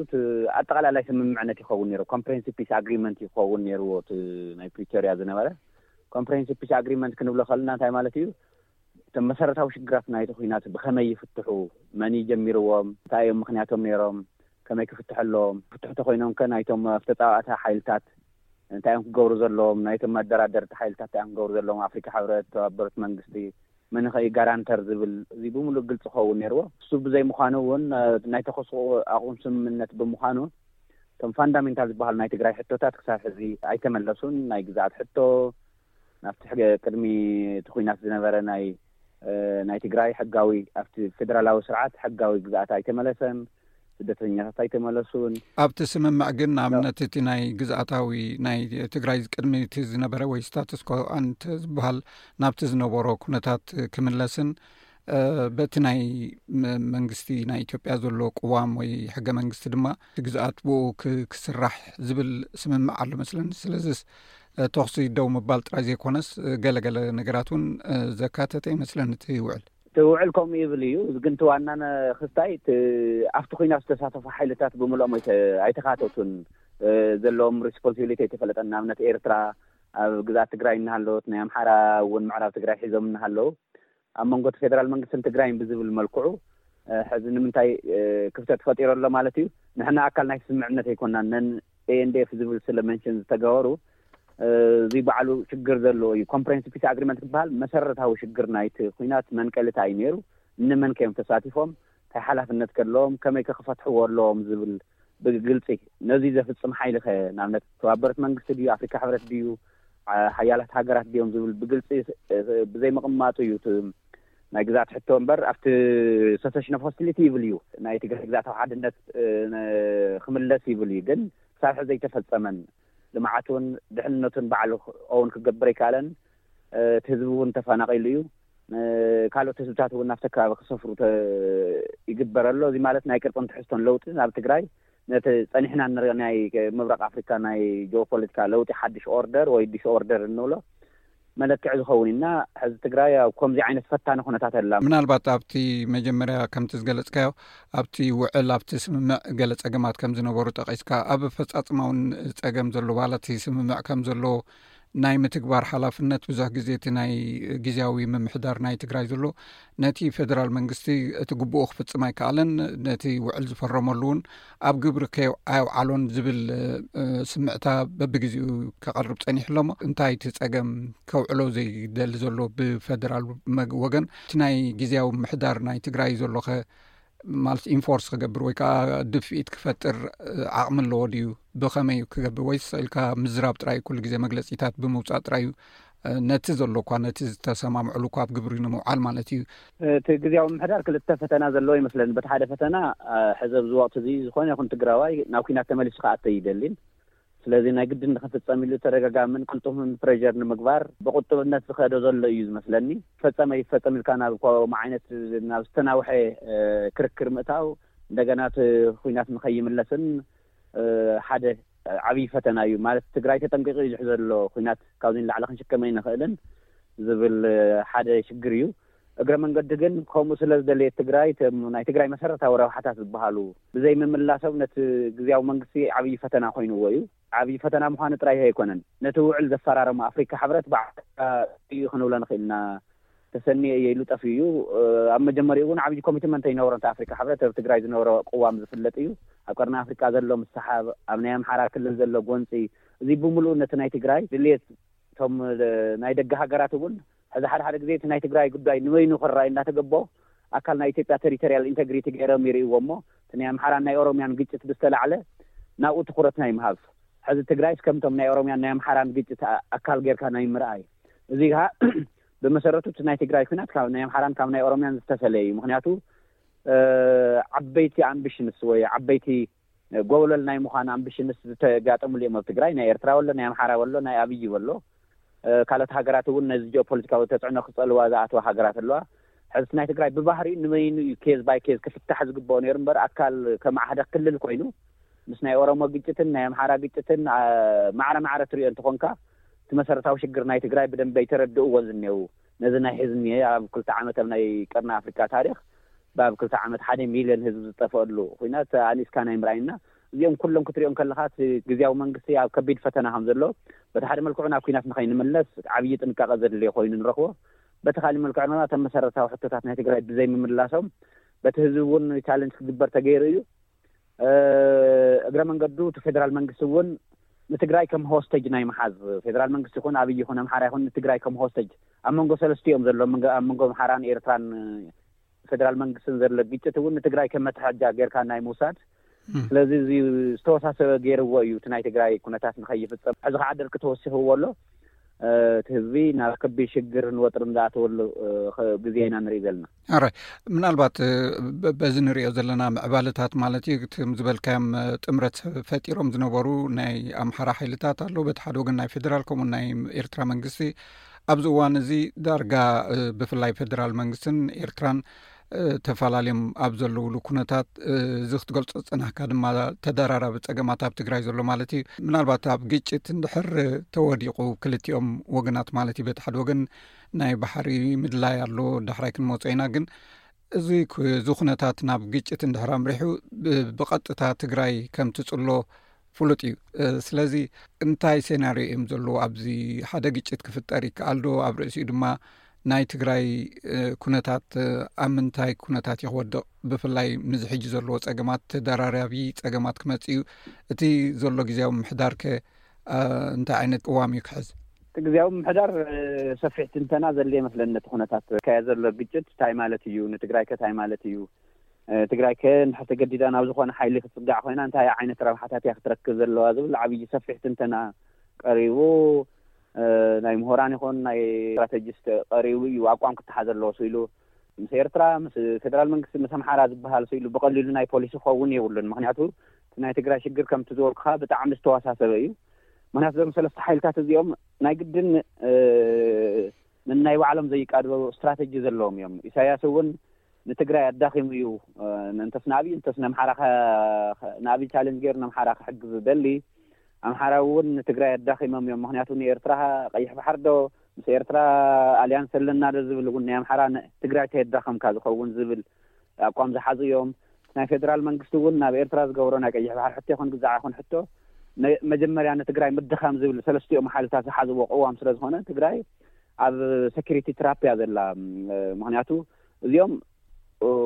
ኣጠቃላላይ ስምምዕነት ይኸውን ነይሩ፣ ኮምፕሬንሲቭ ፒስ ኣግሪመንት ይኸውን ነይርዎ እቲ ናይ ፕሪቶርያ ዝነበረ። ኮምፕሬንሲቭ ፒስ ኣግሪመንት ክንብሎ ከለና እንታይ ማለት እዩ? እቶም መሰረታዊ ሽግራት ናይቲ ኩናት ብኸመይ ይፍትሑ፣ መን እዩ ጀሚርዎም፣ እንታይ እዮም ምክንያቶም ነይሮም፣ ከመይ ክፍትሑ ኣለዎም፣ ክፍትሑ ተኮይኖም ከ ናይቶም ተፃዋእቲ ሓይልታት እንታይ እዮም ክገብሩ ዘለዎም፣ ናይቶም መደራደርቲ ሓይልታት እንታይ እዮም ክገብሩ ዘለዎም፣ ኣፍሪካ ሕብረት፣ ተባበሩት መንግስቲ፣ መን ከ እዩ ጋራንተር ዝብል፣ እዚ ብምሉእ ግልፂ ክኸውን ነይርዎ። እሱ ብዘይ ምዃኑ እውን ናይ ተኮስ ኣቁም ስምምነት ብምዃኑ እቶም ፋንዳሜንታል ዝበሃሉ ናይ ትግራይ ሕቶታት ክሳብ ሕዚ ኣይተመለሱን። ናይ ግዛኣት ሕቶ ናብቲ ሕገ ቅድሚ እቲ ኩናት ዝነበረ ናይ ናይ ትግራይ ሕጋዊ ኣብቲ ፌደራላዊ ስርዓት ሕጋዊ ግዛኣት ኣይተመለሰን። ስደተኛታት ኣይተመለሱን። ኣብቲ ስምምዕ ግን ንኣብነት እቲ ናይ ግዝኣታዊ ናይ ትግራይ ቅድሚ እቲ ዝነበረ ወይ ስታትስኮ ኣንት ዝበሃል ናብቲ ዝነበሮ ኩነታት ክምለስን በቲ ናይ መንግስቲ ናይ ኢትዮጵያ ዘሎ ቅዋም ወይ ሕገ መንግስቲ ድማ እቲ ግዝኣት ብኡ ክስራሕ ዝብል ስምምዕ ኣሎ መስለኒ። ስለዚስ ተኹሲ ደው ምባል ጥራይ ዘይኮነስ ገለገለ ነገራት እውን ዘካተተ ይመስለኒ እቲ ውዕል። እቲ ውዕል ከምኡ ይብል እዩ። ግን እቲ ዋና ክስታይ ኣብቲ ኩናት ዝተሳተፉ ሓይልታት ብምልኦም ኣይተካተቱን። ዘለዎም ሪስፖንሲቢሊቲ ኣይተፈለጠን። ንኣብነት ኤርትራ ኣብ ግዝኣት ትግራይ እናሃለወት ናይ ኣምሓራ እውን ምዕራብ ትግራይ ሒዞም እናሃለዉ ኣብ መንጎ እቲ ፌደራል መንግስትን ትግራይን ብዝብል መልክዑ ሕዚ ንምንታይ ክፍተት ፈጢሩ ኣሎ ማለት እዩ? ንሕና ኣካል ናይ ስምምዕነት ኣይኮናን። ነን ኤንዲኤፍ ዝብል ስለ መንሽን ዝተገበሩ እዚ ባዕሉ ሽግር ዘለዎ እዩ። ኮምፕሬንሲቭ ፒስ ኣግሪመንት ዝበሃል መሰረታዊ ሽግር ናይቲ ኩናት መንቀሊታ እዩ ነይሩ። ንመን ከዮም ተሳቲፎም፣ እንታይ ሓላፍነት ከለዎም፣ ከመይ ከ ክፈትሕዎ ኣለዎም ዝብል ብግልፂ ነዚ ዘፍፅም ሓይሊ ከ ንኣብነት ተባበረት መንግስቲ ድዩ፣ ኣፍሪካ ሕብረት ድዩ፣ ሓያላት ሃገራት ድዮም ዝብል ብግልፂ ብዘይምቕማጡ እዩ ናይ ግዛት ሕቶ እምበር ኣብቲ ሰሰሽን ኦፍ ሆስቲሊቲ ይብል እዩ። ናይ ትግራይ ግዛታዊ ሓድነት ክምለስ ይብል እዩ። ግን ክሳብ ሕዚ ዘይተፈፀመን ልምዓት እውን ድሕንነቱን ባዕሉ እውን ክገብር ኣይከኣለን። እቲ ህዝቢ እውን ተፈናቒሉ እዩ። ካልኦት ህዝብታት እውን ናብቲ ከባቢ ክሰፍሩ ይግበር ኣሎ። እዚ ማለት ናይ ቅርፅን ትሕዝቶን ለውጢ ናብ ትግራይ ነቲ ፀኒሕና ንሪኦ ናይ ምብራቕ ኣፍሪካ ናይ ጂኦፖለቲካ ለውጢ ሓድሽ ኦርደር ወይ ዲስኦርደር እንብሎ መለክዒ ዝኸውን ኢና። ሕዚ ትግራይ ኣብ ከምዚ ዓይነት ፈታኒ ኩነታት ኣላ። ምናልባት ኣብቲ መጀመርያ ከምቲ ዝገለጽካዮ፣ ኣብቲ ውዕል፣ ኣብቲ ስምምዕ ገለ ጸገማት ከም ዝነበሩ ጠቒስካ፣ ኣብ ኣፈጻጽማ እውን ጸገም ዘሎ፣ ዋላ እቲ ስምምዕ ከም ዘሎ ናይ ምትግባር ሓላፍነት ብዙሕ ግዜ እቲ ናይ ግዝያዊ ምምሕዳር ናይ ትግራይ ዘሎ፣ ነቲ ፌደራል መንግስቲ እቲ ግቡኡ ክፍጽም ኣይከኣለን፣ ነቲ ውዕል ዝፈረመሉ እውን ኣብ ግብሪ ከየው-፣ ኣየውዓሎን ዝብል፣ እ፣ ስምዕታ በብግዜኡ ከቐርብ ጸኒሑ ኣሎ። እሞ እንታይ እቲ ጸገም ከውዕሎ ዘይደሊ ዘሎ ብፌደራል መግ-፣ ወገን? እቲ ናይ ግዝያዊ ምምሕዳር ናይ ትግራይ ዘሎኸ ማለት ኢንፎርስ ክገብር ወይ ከዓ ድፍኢት ክፈጥር፣ እ፣ ዓቕሚ ኣለዎ ድዩ? ብኸመይ እዩ ክገብር? ወይስ ኢልካ ምዝራብ ጥራይ፣ ኩሉ ግዜ መግለጺታት ብምውጻእ ጥራይ እዩ፣ እ፣ ነቲ ዘሎ እኳ፣ ነቲ ዝተሰማምዕሉ እኳ ኣብ ግብሪ ንምውዓል ማለት እዩ? እቲ ግዝያዊ ምምሕዳር ክልተ ፈተና ዘለዎ ይመስለኒ። በቲ ሓደ ፈተና፣ እ፣ ሕዚ ኣብዚ ወቕቲ እዚ ዝኾነ ይኹን ትግራዋይ ናብ ኲናት ተመሊሱ ክኣተ ይደልን። ስለዚ ናይ ግድን ንክፍጸም ኢሉ ተደጋጋምን ቅልጡፍን ፕሬሸር ንምግባር ብቁጥብነት ዝኸዶ ዘሎ እዩ ዝመስለኒ። ፈጸመ ይፈጸም ኢልካ ናብ ከምኡ ዓይነት፣ ናብ ዝተናውሐ፣ እ፣ ክርክር ምእታው፣ እንደገና እቲ ኲናት ንኸይምለስን፣ እ፣ ሓደ ዓብዪ ፈተና እዩ። ማለት ትግራይ ተጠንቂቑ እዩ ዝሕዞ ዘሎ። ኲናት ካብዚ ንላዕሊ ክንሽከም ኣይንኽእልን ዝብል፣ እ፣ ሓደ ሽግር እዩ። እግረ መንገዲ ግን ከምኡ ስለ ዝደለየት ትግራይ፣ እቶም ናይ ትግራይ መሰረታዊ ረብሓታት ዝበሃሉ ብዘይምምላሶም ነቲ ግዝያዊ መንግስቲ ዓብዪ ፈተና ኮይንዎ እዩ። ዓብዪ ፈተና ምዃኑ ጥራይ ኣይኮነን፣ ነቲ ውዕል ዘፈራረሙ ኣፍሪካ ሕብረት ባዕሉ እዩ ክንብሎ ንኽእል ኢና። ተሰኒየ እየ ኢሉ ጠፊኡ እዩ። እ፣ ኣብ መጀመሪኡ እውን ዓብዪ ኮሚትመንት ኣይነበሮን። እቲ ኣፍሪካ ሕብረት ኣብ ትግራይ ዝነበሮ ቅዋም ዝፍለጥ እዩ። ኣብ ቀርኒ ኣፍሪካ ዘሎ ምስሓብ፣ ኣብ ናይ ኣምሓራ ክልል ዘሎ ጎንፂ፣ እዚ ብምሉኡ ነቲ ናይ ትግራይ ድልየት፣ እቶም፣ እ፣ ናይ ደገ ሃገራት እውን ሕዚ ሓደ ሓደ ግዜ እቲ ናይ ትግራይ ጉዳይ ንበይኑ ክረኣይ እናተገቦ ኣካል ናይ ኢትዮጵያ ቴሪቶሪያል ኢንተግሪቲ ገይሮም ይርእይዎ እሞ፣ እቲ ናይ ኣምሓራን ናይ ኦሮሚያን ግጭት ብዝተላዕለ ናብኡ ትኩረት ናይ ምሃብ፣ ሕዚ ትግራይስ ከምቶም ናይ ኦሮሚያን ናይ ኣምሓራን ግጭት ኣ-፣ ኣካል ጌርካ ናይ ምርኣይ፣ እዚ ከዓ ብመሰረቱ እቲ ናይ ትግራይ ኩናት ካብ ናይ ኣምሓራን ካብ ናይ ኦሮሚያን ዝተፈለየ እዩ። ምክንያቱ፣ እ፣ ዓበይቲ ኣምቢሽንስ ወይ ዓበይቲ ጎብለል ናይ ምዃን ኣምቢሽንስ ዝተጋጠሙሉ እዮም። ኣብ ትግራይ ናይ ኤርትራ ወሎ፣ ናይ ኣምሓራ ወሎ፣ ናይ ኣብይ ወሎ፣ እ፣ ካልኦት ሃገራት እውን ነዚ ጂኦፖለቲካዊ ተጽዕኖ ክጸልዋ ዝኣተዋ ሃገራት ኣለዋ። ሕዚ ናይ ትግራይ ብባህሪኡ ንበይኑ እዩ ኬዝ ባይ ኬዝ ክፍታሕ ዝግብኦ ነይሩ እምበር፣ ኣካል ከማዕህደ ክልል ኮይኑ ምስ ናይ ኦሮሞ ግጭትን ናይ ኣምሓራ ግጭትን፣ አ፣ ማዕረ ማዕረ ትሪኦ እንተኾንካ፣ እቲ መሰረታዊ ሽግር ናይ ትግራይ ብደንቢ ኣይተረድእዎን ዝኔው። ነዚ ናይ ሕዚ እኒሄ ኣብ ክልተ ዓመት ኣብ ናይ ቀርኒ ኣፍሪካ ታሪኽ፣ ብኣብ ክልተ ዓመት ሓደ ሚልዮን ህዝቢ ዝጠፈአሉ ኩናት ኣኒስካ ናይ ምርኣይና፣ እዚኦም ኩሎም ክትሪኦም ከለኻ፣ እቲ ግዝያዊ መንግስቲ ኣብ ከቢድ ፈተና ከም ዘሎ፣ በቲ ሓደ መልክዑ ናብ ኩናት ንኸይንምለስ ዓብዪ ጥንቃቐ ዘድልዮ ኮይኑ ንረኽቦ። በቲ ካሊእ መልክዑ ድማ፣ እቶም መሰረታዊ ሕቶታት ናይ ትግራይ ብዘይምምላሶም፣ በቲ ህዝቢ እውን ቻለንጅ ክግበር ተገይሩ እዩ። እ፣ እግረ መንገዱ፣ እቲ ፌደራል መንግስቲ እውን ንትግራይ ከም ሆስቴጅ ናይ ምሓዝ፣ ፌደራል መንግስቲ ይኹን ኣብይ ይኹን ኣምሓራ ይኹን ንትግራይ ከም ሆስቴጅ፣ ኣብ መንጎ ሰለስቲኦም ዘሎ፣ መንጎ፣ ኣብ መንጎ ኣምሓራን ኤርትራን፣ እ፣ ፌደራል መንግስትን ዘሎ ግጭት እውን ንትግራይ ከም መትሓጃ ጌርካ ናይ ምውሳድ። እም። ስለዚ፣ እዚ ዝተወሳሰበ ገይርዎ እዩ፣ እቲ ናይ ትግራይ ኩነታት ንኸይፍጸም። ሕዚ ከዓ ደርቂ ተወሲኽዎ ኣሎ። እ፣ እቲ ህዝቢ ናብ ከቢድ ሽግርን ወጥርን ዝኣተወሉ፣ እ፣ ኸ-፣ ግዜ ኢና ንርኢ ዘለና። ኣረ፣ ምናልባት፣ እ፣ በ-፣ በዚ ንሪኦ ዘለና ምዕባለታት ማለት እዩ፣ ከም ዝበልካዮም፣ እ፣ ጥምረት ፈጢሮም ዝነበሩ ናይ ኣምሓራ ሓይልታት ኣለዉ፣ በቲ ሓደ ወገን ናይ ፌደራል፣ ከምኡ ናይ ኤርትራ መንግስቲ፣ ኣብዚ እዋን እዚ ዳርጋ፣ እ፣ ብፍላይ ፌደራል መንግስትን ኤርትራን፣ እ፣ ተፈላለዮም ኣብ ዘለውሉ ኩነታት፣ እ፣ እዚ ክትገልጾ ዝጸናሕካ ድማ ተደራራቢ ጸገማት ኣብ ትግራይ ዘሎ ማለት እዩ። ምናልባት ኣብ ግጭት እንድሕር ተወዲቑ ክልቲኦም ወገናት ማለት እዩ፣ በቲ ሓደ ወገን ናይ ባሕሪ ምድላይ ኣሎ፣ ዳሕራይ ክንመጾ ኢና። ግን እዚ ኩ-፣ እዚ ኩነታት ናብ ግጭት እንድሕር ኣምሪሑ፣ ብ-፣ ብቐጥታ ትግራይ ከም ትጽሎ ፍሉጥ እዩ። እ፣ ስለዚ እንታይ ሴናርዮ እዮም ዘለዉ? ኣብዚ ሓደ ግጭት ክፍጠር ይከኣል ዶ? ኣብ ርእሲኡ ድማ ናይ ትግራይ፣ እ፣ ኩነታት፣ እ፣ ኣብ ምንታይ ኩነታት እዩ ክወድቕ? ብፍላይ ምስዚ ሕጂ ዘለዎ ጸገማት፣ ተደራራቢ ጸገማት ክመጽእ እዩ። እቲ ዘሎ ግዝያዊ ምምሕዳር ከ፣ እ፣ እንታይ ዓይነት ቅዋም እዩ ክሕዝ? እቲ ግዝያዊ ምምሕዳር፣ እ፣ ሰፊሕ ትንተና ዘድልዮ ይመስለኒ። ነቲ ኩነታት ከያ ዘሎ ግጭት እንታይ ማለት እዩ? ንትግራይ ከ እንታይ ማለት እዩ? እ፣ ትግራይ ከ እንድሕር ተገዲዳ ናብ ዝኾነ ሓይሊ ክትጽጋዕ ኮይና እንታይ ዓይነት ረብሓታት እያ ክትረክብ ዘለዋ ዝብል ዓብዪ ሰፊሕ ትንተና ቀሪቡ፣ እ፣ ናይ ምሁራን ይኹን ናይ ስትራተጂስት ቀሪቡ እዩ ኣቋም ክተሓዘ ኣለዎ ስኢሉ። ምስ ኤርትራ፣ ምስ ፌደራል መንግስቲ፣ ምስ ኣምሓራ ዝበሃል ስኢሉ ብቐሊሉ ናይ ፖሊሲ ክኸውን የብሉን። ምክንያቱ እቲ ናይ ትግራይ ሽግር ከምቲ ዝበልኩኻ ብጣዕሚ ዝተወሳሰበ እዩ። ምክንያቱ እዞም ሰለስተ ሓይልታት እዚኦም ናይ ግድን፣ እ፣ ንናይ ባዕሎም ዘይቃድበው ስትራተጂ ዘለዎም እዮም። ኢሳያስ እውን ንትግራይ ኣዳኺሙ እዩ። እ፣ እንተስ ንኣብይ፣ እንተስ ንኣምሓራ ከ-፣ ከ-፣ ንኣብይ ቻሌንጅ ገይሩ ንኣምሓራ ክሕግዝ ዝደሊ። ኣምሓራ እውን ንትግራይ ኣዳኺሞም እዮም። ምክንያቱ ንኤርትራ ቀይሕ ባሕሪ ዶ፣ ምስ ኤርትራ ኣልያንስ ኣለና ዶ ዝብል እውን ናይ ኣምሓራ ትግራይ ተየዳኸምካ ዝኸውን ዝብል ኣቋም ዝሓዙ እዮም። ናይ ፌደራል መንግስቲ እውን ናብ ኤርትራ ዝገብሮ ናይ ቀይሕ ባሕሪ ሕቶ ይኹን ግዛዕ ይኹን ሕቶ መጀመርያ ንትግራይ ምድኻም ዝብል ሰለስቲኦም ሓይልታት ዝሓዝዎ ቅዋም ስለ ዝኾነ ትግራይ ኣብ ሴኩሪቲ ትራፕ እያ ዘላ። ምክንያቱ እዚኦም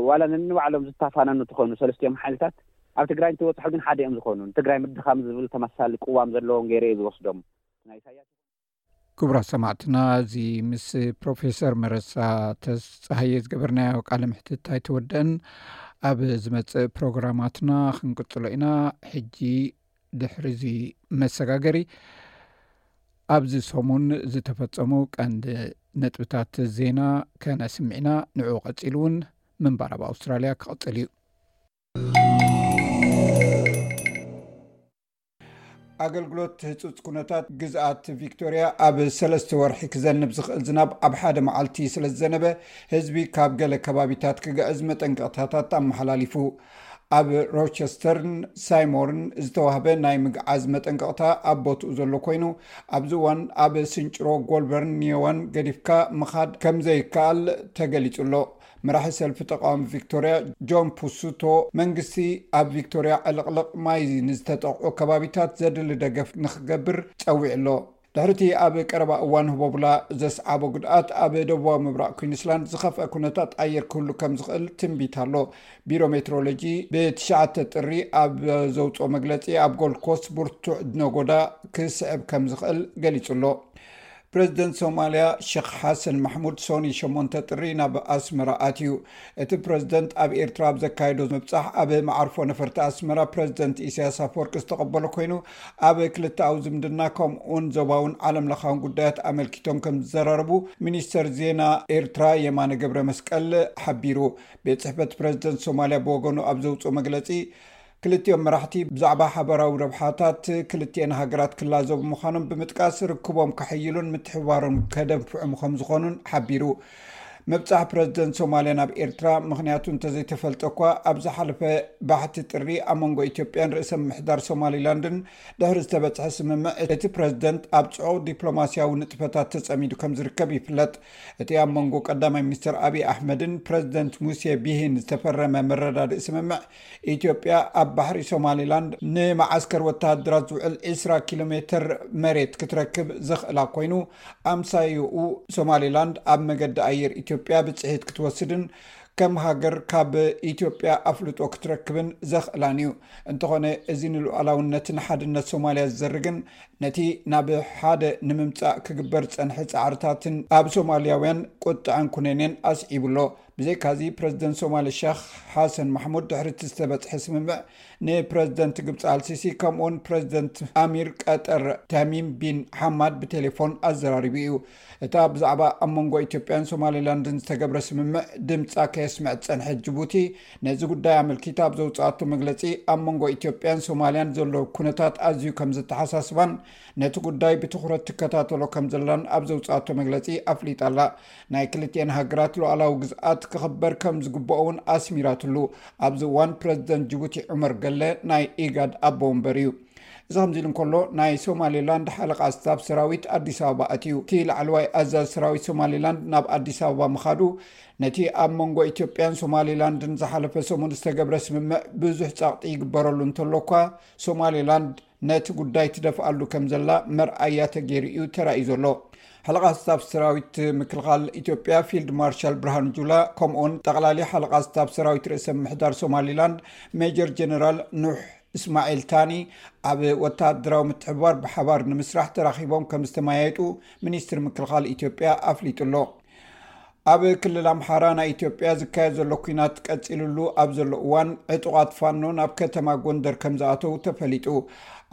ዋላ ነንባዕሎም ዝታፋነኑ እንተኾኑ ሰለስቲኦም ሓይልታት ኣብ ትግራይ እንትበፅሑ ግን ሓደ እዮም ዝኾኑ። ንትግራይ ምድኻም ዝብል ተመሳሳሊ ቅዋም ዘለዎም ገይረ እየ ዝወስዶም። ናይ ኢሳያስ ክቡራት ሰማዕትና፣ እዚ ምስ ፕሮፌሰር መረሳ ተስፀሃየ ዝገበርናዮ ቃለ ምሕትት ኣይተወደአን። ኣብ ዝመፅእ ፕሮግራማትና ክንቅፅሎ ኢና። ሕጂ ድሕሪ እዚ መሰጋገሪ ኣብዚ ሰሙን ዝተፈፀሙ ቀንዲ ነጥብታት ዜና ከነስምዕ ኢና። ንዕኡ ቀፂሉ እውን ምንባር ኣብ ኣውስትራልያ ክቕፅል እዩ። ኣገልግሎት ህጹጽ ኩነታት ግዝኣት ቪክቶርያ ኣብ ሰለስተ ወርሒ ክዘንብ ዝኽእል ዝናብ ኣብ ሓደ መዓልቲ ስለ ዝዘነበ ህዝቢ ካብ ገለ ከባቢታት ክግዕዝ መጠንቀቕታታት ኣመሓላሊፉ። ኣብ ሮቸስተርን ሳይሞርን ዝተዋህበ ናይ ምግዓዝ መጠንቀቕታ ኣብ ቦትኡ ዘሎ ኮይኑ ኣብዚ እዋን ኣብ ስንጭሮ ጎልበርን ኒዮዋን ገዲፍካ ምኻድ ከም ዘይከኣል ተገሊጹ ኣሎ። መራሒ ሰልፊ ተቃዋሚ ቪክቶርያ ጆን ፑሱቶ መንግስቲ ኣብ ቪክቶርያ ዕልቕልቕ ማይ ንዝተጠቕዑ ከባቢታት ዘድሊ ደገፍ ንክገብር ጸዊዑ ኣሎ። ድሕሪቲ ኣብ ቀረባ እዋን ህቦብላ ዘስዓቦ ጉድኣት ኣብ ደቡባዊ ምብራቕ ኩዊንስላንድ ዝኸፍአ ኩነታት ኣየር ክህሉ ከም ዝኽእል ትንቢት ኣሎ። ቢሮ ሜትሮሎጂ ብትሽዓተ ጥሪ ኣብ ዘውፅኦ መግለፂ ኣብ ጎልድ ኮስት ብርቱዕ ነጎዳ ክስዕብ ከም ዝኽእል ገሊፁ ኣሎ። ፕረዚደንት ሶማልያ ሸኽ ሓሰን ማሕሙድ ሶኒ ሸሞንተ ጥሪ ናብ ኣስመራ ኣትዩ። እቲ ፕረዚደንት ኣብ ኤርትራ ኣብ ዘካየዶ ምብጻሕ ኣብ መዓርፎ ነፈርቲ ኣስመራ ፕረዚደንት ኢሳያስ ኣፈወርቂ ዝተቐበሎ ኮይኑ ኣብ ክልተኣዊ ዝምድና ከምኡውን ዞባውን ዓለም ለኻውን ጉዳያት ኣመልኪቶም ከም ዝዘራረቡ ሚኒስተር ዜና ኤርትራ የማነ ገብረ መስቀል ሓቢሩ። ቤት ጽሕፈት ፕረዚደንት ሶማልያ ብወገኑ ኣብ ዘውፅኦ መግለፂ ክልቲኦም መራሕቲ ብዛዕባ ሓበራዊ ረብሓታት ክልቲኤን ሃገራት ክላዘቡ ምዃኖም ብምጥቃስ ርክቦም ከሐይሉን ምትሕብባሮም ከደንፍዑ ከም ዝኾኑን ሓቢሩ። ምብጻሕ ፕረዚደንት ሶማልያ ናብ ኤርትራ ምኽንያቱ እንተዘይተፈልጠ እኳ ኣብ ዝሓለፈ ባሕቲ ጥሪ ኣብ መንጎ ኢትዮጵያን ርእሰ ምምሕዳር ሶማሊላንድን ድሕሪ ዝተበጽሐ ስምምዕ እቲ ፕረዚደንት ኣብ ጽዑቕ ዲፕሎማስያዊ ንጥፈታት ተጸሚዱ ከም ዝርከብ ይፍለጥ። እቲ ኣብ መንጎ ቀዳማይ ሚኒስትር ኣብይ ኣሕመድን ፕረዚደንት ሙሴ ቢሂን ዝተፈረመ መረዳድእ ስምምዕ ኢትዮጵያ ኣብ ባሕሪ ሶማሊላንድ ንመዓስከር ወተሃደራት ዝውዕል ዕስራ ኪሎ ሜትር መሬት ክትረክብ ዘኽእላ ኮይኑ ኣምሳይኡ ሶማሊላንድ ኣብ መገዲ ኣየር ኢትዮጵያ ብፅሒት ክትወስድን ከም ሃገር ካብ ኢትዮጵያ ኣፍልጦ ክትረክብን ዘኽእላን እዩ። እንተኾነ እዚ ንሉዓላውነትን ሓድነት ሶማልያ ዝዘርግን ነቲ ናብ ሓደ ንምምፃእ ክግበር ዝፀንሐ ፃዕርታትን ኣብ ሶማልያውያን ቁጥዐን ኩነኔን ኣስዒቡ ኣሎ። ብዘይካዚ ፕረዚደንት ሶማሊ ሸኽ ሓሰን ማሕሙድ ድሕሪ እቲ ዝተበፅሐ ስምምዕ ንፕረዚደንት ግብፂ ኣልሲሲ ከምኡውን ፕረዚደንት ኣሚር ቀጠር ተሚም ቢን ሓማድ ብቴሌፎን ኣዘራሪቡ እዩ። እታ ብዛዕባ ኣብ መንጎ ኢትዮጵያን ሶማሊላንድን ዝተገብረ ስምምዕ ድምፃ ከየስምዐት ዝፀንሐት ጅቡቲ ነዚ ጉዳይ ኣመልኪታ ኣብ ዘውፅኣቶ መግለፂ ኣብ መንጎ ኢትዮጵያን ሶማልያን ዘሎ ኩነታት ኣዝዩ ከም ዘተሓሳስባን ነቲ ጉዳይ ብትኹረት ትከታተሎ ከም ዘላን ኣብ ዘውፅኣቶ መግለፂ ኣፍሊጣ ኣላ። ናይ ክልቲኤን ሃገራት ሉዓላዊ ግዝኣት ክኽበር ከም ዝግብኦ እውን ኣስሚራትሉ። ኣብዚ እዋን ፕረዚደንት ጅቡቲ ዑመር ገለ ናይ ኢጋድ ኣቦ ወንበር እዩ። እዚ ከምዚ ኢሉ እንከሎ ናይ ሶማሌላንድ ሓለቓ ስታፍ ሰራዊት ኣዲስ ኣበባ ኣትዩ። እቲ ላዕለዋይ ኣዛዚ ሰራዊት ሶማሌላንድ ናብ ኣዲስ ኣበባ ምኻዱ ነቲ ኣብ መንጎ ኢትዮጵያን ሶማሌላንድን ዝሓለፈ ሰሙን ዝተገብረ ስምምዕ ብዙሕ ጸቕጢ ይግበረሉ እንተሎ እኳ ሶማሌላንድ ነቲ ጉዳይ ትደፍኣሉ ከም ዘላ መርኣያ ተገይሩ እዩ ተራእዩ ዘሎ። ሓለቓ ስታፍ ሰራዊት ምክልኻል ኢትዮጵያ ፊልድ ማርሻል ብርሃኑ ጁላ ከምኡውን ጠቕላሊ ሓለቓ ስታፍ ሰራዊት ርእሰ ምምሕዳር ሶማሊላንድ ሜጀር ጀነራል ኑሕ እስማዒል ታኒ ኣብ ወታደራዊ ምትሕብባር ብሓባር ንምስራሕ ተራኺቦም ከም ዝተመያየጡ ሚኒስትሪ ምክልኻል ኢትዮጵያ ኣፍሊጡ ኣሎ። ኣብ ክልል ኣምሓራ ናይ ኢትዮጵያ ዝካየድ ዘሎ ኲናት ቀጺሉሉ ኣብ ዘሎ እዋን ዕጡቓት ፋኖ ናብ ከተማ ጎንደር ከም ዝኣተዉ ተፈሊጡ።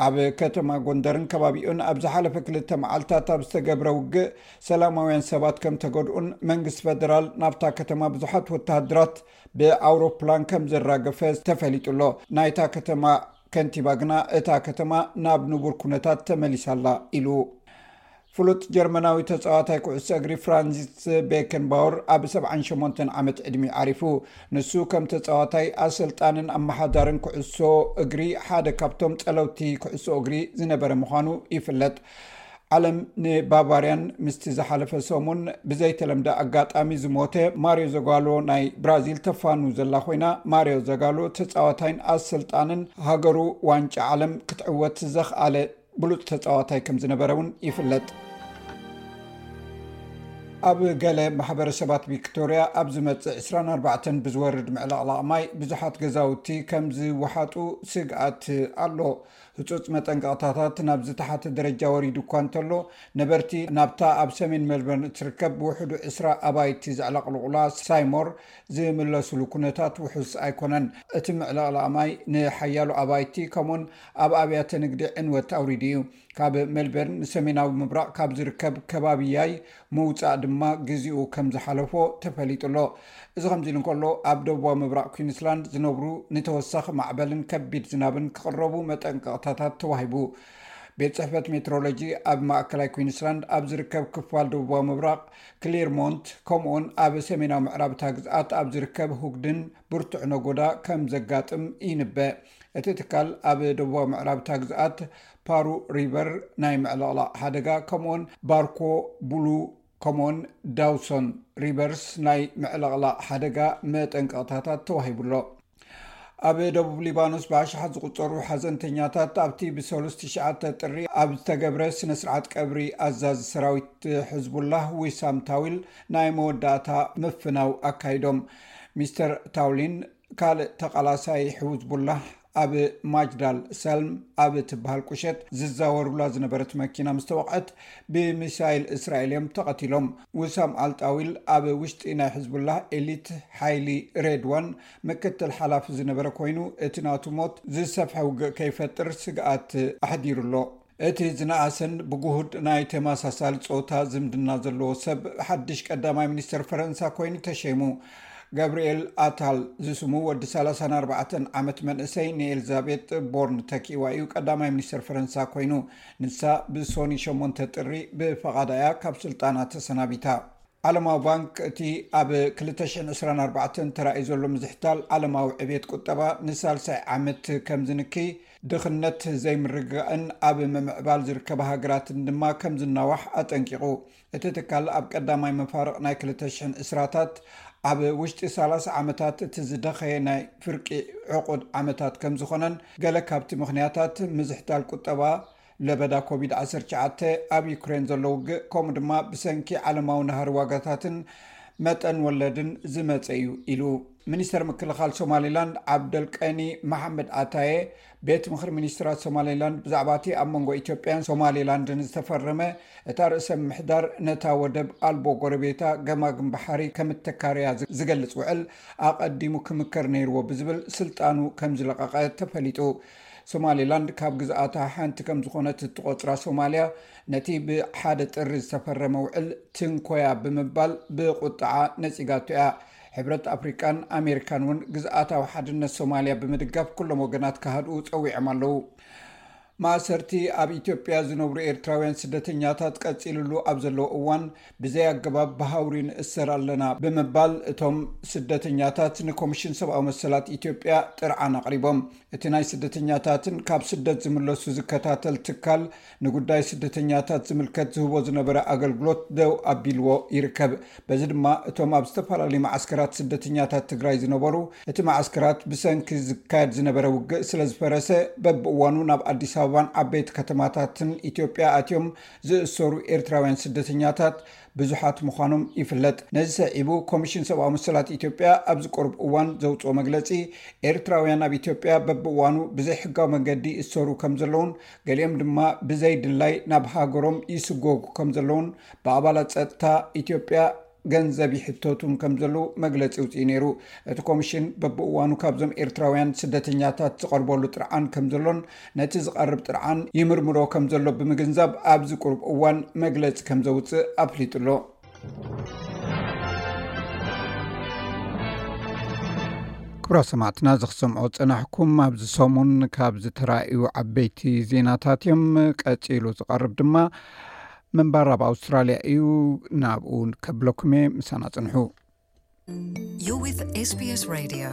ኣብ ከተማ ጎንደርን ከባቢኡን ኣብ ዝሓለፈ ክልተ መዓልታት ኣብ ዝተገብረ ውግእ ሰላማውያን ሰባት ከም ተገድኡን መንግስቲ ፈደራል ናብታ ከተማ ብዙሓት ወተሃደራት ብኣውሮፕላን ከም ዘራገፈ ተፈሊጡ ኣሎ። ናይታ ከተማ ከንቲባ ግና እታ ከተማ ናብ ንቡር ኩነታት ተመሊሳ ኣላ ኢሉ። ፍሉጥ ጀርመናዊ ተጻዋታይ ኩዕሶ እግሪ ፍራንሲስ ቤከንባወር ኣብ ሰብዓን ሸሞንተን ዓመት ዕድሚኡ ዓሪፉ። ንሱ ከም ተጻዋታይ፣ ኣሰልጣንን ኣመሓዳርን ኩዕሶ እግሪ ሓደ ካብቶም ጸለውቲ ኩዕሶ እግሪ ዝነበረ ምዃኑ ይፍለጥ። ዓለም ንባቫርያን ምስቲ ዝሓለፈ ሰሙን ብዘይተለምደ ኣጋጣሚ ዝሞተ ማሪዮ ዘጋሎ ናይ ብራዚል ተፋኑ ዘላ ኮይና፣ ማሪዮ ዘጋሎ ተጻዋታይን ኣሰልጣንን ሃገሩ ዋንጫ ዓለም ክትዕወት ዘኽኣለ ብሉጽ ተጻዋታይ ከም ዝነበረ እውን ይፍለጥ። ኣብ ገለ ማሕበረሰባት ቪክቶርያ ኣብ ዝመጽእ ዕስራን ኣርባዕተን ብዝወርድ ምዕልቕላቕ ማይ ብዙሓት ገዛውቲ ከም ዝወሓጡ ስግኣት ኣሎ። ህጹጽ መጠንቀቕታታት ናብ ዝተሓተ ደረጃ ወሪዱ እኳ እንተሎ፣ ነበርቲ ናብታ ኣብ ሰሜን ሜልበርን እትርከብ ብውሕዱ ዕስራ ኣባይቲ ዘዕለቕልቑላ ሳይሞር ዝምለሱሉ ኩነታት ውሑስ ኣይኮነን። እቲ ምዕልቕላቕ ማይ ንሓያሎ ኣባይቲ ከምኡን ኣብ ኣብያተ ንግዲ ዕንወት ኣውሪዱ እዩ። ካብ ሜልበርን ንሰሜናዊ ምብራቕ ካብ ዝርከብ ከባቢ ያይ ምውጻእ ድማ ግዜኡ ከም ዝሓለፎ ተፈሊጡ ኣሎ። እዚ ከምዚ ኢሉ እንከሎ፣ ኣብ ደቡባዊ ምብራቕ ኩዊንስላንድ ዝነብሩ ንተወሳኺ ማዕበልን ከቢድ ዝናብን ክቕረቡ መጠንቀቕታታት ተዋሂቡ። ቤት ጽሕፈት ሜትሮሎጂ ኣብ ማእከላይ ኩዊንስላንድ ኣብ ዝርከብ ክፋል ደቡባዊ ምብራቕ ክሊርሞንት፣ ከምኡውን ኣብ ሰሜናዊ ምዕራብ እታ ግዝኣት ኣብ ዝርከብ ሁግድን ብርቱዕ ነጎዳ ከም ዘጋጥም ይንበ። እቲ ትካል ኣብ ደቡባዊ ምዕራብ እታ ግዝኣት ፓሩ ሪቨር ናይ ምዕልቕላቕ ሓደጋ፣ ከምኡውን ባርኮ ቡሉ፣ ከምኡውን ዳውሶን ሪቨርስ ናይ ምዕልቕላቕ ሓደጋ መጠንቀቕታታት ተዋሂቡ ኣሎ። ኣብ ደቡብ ሊባኖስ ብኣሽሓት ዝቑጸሩ ሓዘንተኛታት ኣብቲ ብሰሉስ ትሽዓተ ጥሪ ኣብ ዝተገብረ ስነ ስርዓት ቀብሪ ኣዛዚ ሰራዊት ሕዝቡላህ ዊሳም ታዊል ናይ መወዳእታ ምፍናው ኣካይዶም። ሚስተር ታውሊን ካልእ ተቓላሳይ ሕዝቡላህ ኣብ ማጅዳል ሰልም ኣብ ትበሃል ቁሸት ዝዛወሩላ ዝነበረት መኪና ምስ ተወቕዐት፣ ብሚሳይል እስራኤል እዮም ተቐቲሎም። ውሳም ኣልጣዊል ኣብ ውሽጢ ናይ ሕዝቡላህ ኤሊት ሓይሊ ሬድዋን ምክትል ሓላፊ ዝነበረ ኮይኑ፣ እቲ ናቱ ሞት ዝሰፍሐ ውግእ ከይፈጥር ስግኣት ኣሕዲሩ ኣሎ። እቲ ዝነኣሰን ብጉሁድ ናይ ተመሳሳሊ ጾታ ዝምድና ዘለዎ ሰብ ሓድሽ ቀዳማይ ሚኒስተር ፈረንሳ ኮይኑ ተሸይሙ። ጋብርኤል ኣታል ዝስሙ ወዲ ሰላሳን ኣርባዕተን ዓመት መንእሰይ ንኤልዛቤጥ ቦርን ተኪእዋ እዩ ቀዳማይ ሚኒስተር ፈረንሳ ኮይኑ። ንሳ ብሶኒ ሸሞንተ ጥሪ ብፈቓዳ እያ ካብ ስልጣና ተሰናቢታ። ዓለማዊ ባንክ እቲ ኣብ ክልተ ሽሕን ዕስራን ኣርባዕተን ተራእዩ ዘሎ ምዝሕታል ዓለማዊ ዕቤት ቁጠባ ንሳልሳይ ዓመት ከም ዝንኪ፣ ድኽነት ዘይምርግጋእን ኣብ ምምዕባል ዝርከባ ሃገራትን ድማ ከም ዝናዋሕ ኣጠንቂቑ። እቲ ትካል ኣብ ቀዳማይ መፋርቕ ናይ ክልተ ሽሕን ዕስራታት ኣብ ውሽጢ ሰላሳ ዓመታት እቲ ዝደኸየ ናይ ፍርቂ ዕቑድ ዓመታት ከም ዝኾነን፣ ገለ ካብቲ ምኽንያታት ምዝሕታል ቁጠባ፣ ለበዳ ኮቪድ ዓሰርተ ትሽዓተ፣ ኣብ ዩክሬን ዘሎ ውግእ፣ ከምኡ ድማ ብሰንኪ ዓለማዊ ናህሪ ዋጋታትን መጠን ወለድን ዝመጸ እዩ ኢሉ። ሚኒስተር ምክልኻል ሶማሊላንድ ዓብደልቀኒ መሓመድ ኣታየ፣ ቤት ምኽሪ ሚኒስትራት ሶማሊላንድ ብዛዕባ እቲ ኣብ መንጎ ኢትዮጵያን ሶማሊላንድን ዝተፈረመ፣ እታ ርእሰ ምምሕዳር ነታ ወደብ ኣልቦ ጎረቤታ ገማግም ባሕሪ ከም እተካርያ ዝ-፣ ዝገልጽ ውዕል ኣቐዲሙ ክምከር ነይርዎ ብዝብል ስልጣኑ ከም ዝለቐቐ ተፈሊጡ። ሶማሊላንድ ካብ ግዝኣታ ሓንቲ ከም ዝኾነት እትቖጽራ ሶማልያ፣ ነቲ ብሓደ ጥሪ ዝተፈረመ ውዕል ትንኮያ ብምባል ብቁጥዓ ነጺጋቶ እያ። ሕብረት ኣፍሪቃን ኣሜሪካን እውን ግዝኣታዊ ሓድነት ሶማልያ ብምድጋፍ ኩሎም ወገናት ክሃድኡ ጸዊዖም ኣለዉ። ማእሰርቲ ኣብ ኢትዮጵያ ዝነብሩ ኤርትራውያን ስደተኛታት ቀጺልሉ ኣብ ዘለዎ እዋን፣ ብዘይ ኣገባብ ብሃውሪ ንእሰር ኣለና ብምባል እቶም ስደተኛታት ንኮሚሽን ሰብኣዊ መሰላት ኢትዮጵያ ጥርዓን ኣቕሪቦም። እቲ ናይ ስደተኛታትን ካብ ስደት ዝምለሱ ዝከታተል ትካል ንጉዳይ ስደተኛታት ዝምልከት ዝህቦ ዝነበረ ኣገልግሎት ደው ኣቢልዎ ይርከብ። በዚ ድማ እቶም ኣብ ዝተፈላለዩ መዓስከራት ስደተኛታት ትግራይ ዝነበሩ፣ እቲ መዓስከራት ብሰንኪ ዝካየድ ዝነበረ ውግእ ስለ ዝፈረሰ፣ በብእዋኑ ናብ ኣዲስ ኣበባን ዓበይቲ ከተማታትን ኢትዮጵያ ኣትዮም ዝእሰሩ ኤርትራውያን ስደተኛታት ብዙሓት ምዃኖም ይፍለጥ። ነዚ ሰዒቡ ኮሚሽን ሰብኣዊ መሰላት ኢትዮጵያ ኣብ ዝቀርብ እዋን ዘውፅኦ መግለፂ፣ ኤርትራውያን ኣብ ኢትዮጵያ በብእዋኑ ብዘይሕጋዊ መንገዲ ይእሰሩ ከም ዘለውን፣ ገሊኦም ድማ ብዘይ ድላይ ናብ ሃገሮም ይስጎጉ ከም ዘለውን፣ ብኣባላት ጸጥታ ኢትዮጵያ ገንዘብ ይሕተቱን ከም ዘለዉ መግለጺ ኣውጺኡ ነይሩ። እቲ ኮሚሽን በብእዋኑ ካብዞም ኤርትራውያን ስደተኛታት ዝቐርበሉ ጥርዓን ከም ዘሎን፣ ነቲ ዝቐርብ ጥርዓን ይምርምሮ ከም ዘሎ ብምግንዛብ፣ ኣብዚ ቁሩብ እዋን መግለጺ ከም ዘውጽእ ኣፍሊጡ ኣሎ። ክቡራት ሰማዕትና፣ እዚ ክሰምዖ ዝጸናሕኩም ኣብዚ ሰሙን ካብ ዝተራእዩ ዓበይቲ ዜናታት እዮም። ቀጺሉ ዝቐርብ ድማ ምንባር ኣብ ኣውስትራልያ እዩ። ናብኡ ከብለኩም እየ፣ ምሳና ጽንሑ። You're with S B S Radio.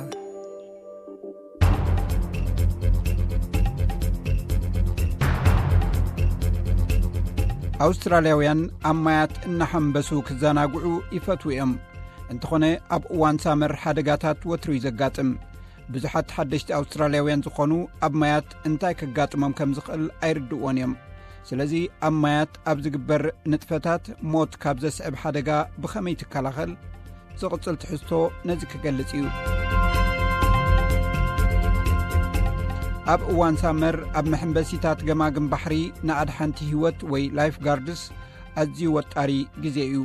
ኣውስትራልያውያን ኣብ ማያት እናሓንበሱ ክዘናግዑ ይፈትዉ እዮም። እንተኾነ፣ ኣብ እዋን ሳመር ሓደጋታት ወትሩ እዩ ዘጋጥም። ብዙሓት ሓደሽቲ ኣውስትራልያውያን ዝኾኑ ኣብ ማያት እንታይ ከጋጥሞም ከም ዝኽእል ኣይርድእዎን እዮም። ስለዚ ኣብ ማያት ኣብ ዝግበር ንጥፈታት ሞት ካብ ዘስዕብ ሓደጋ ብኸመይ ትከላኸል? ዝቕጽል ትሕዝቶ ነዚ ክገልጽ እዩ። ኣብ እዋን ሳመር ኣብ መሐንበሲታት ገማግም ባሕሪ ንኣድሓንቲ ህይወት ወይ ላይፍ ጋርድስ ኣዝዩ ወጣሪ ግዜ እዩ።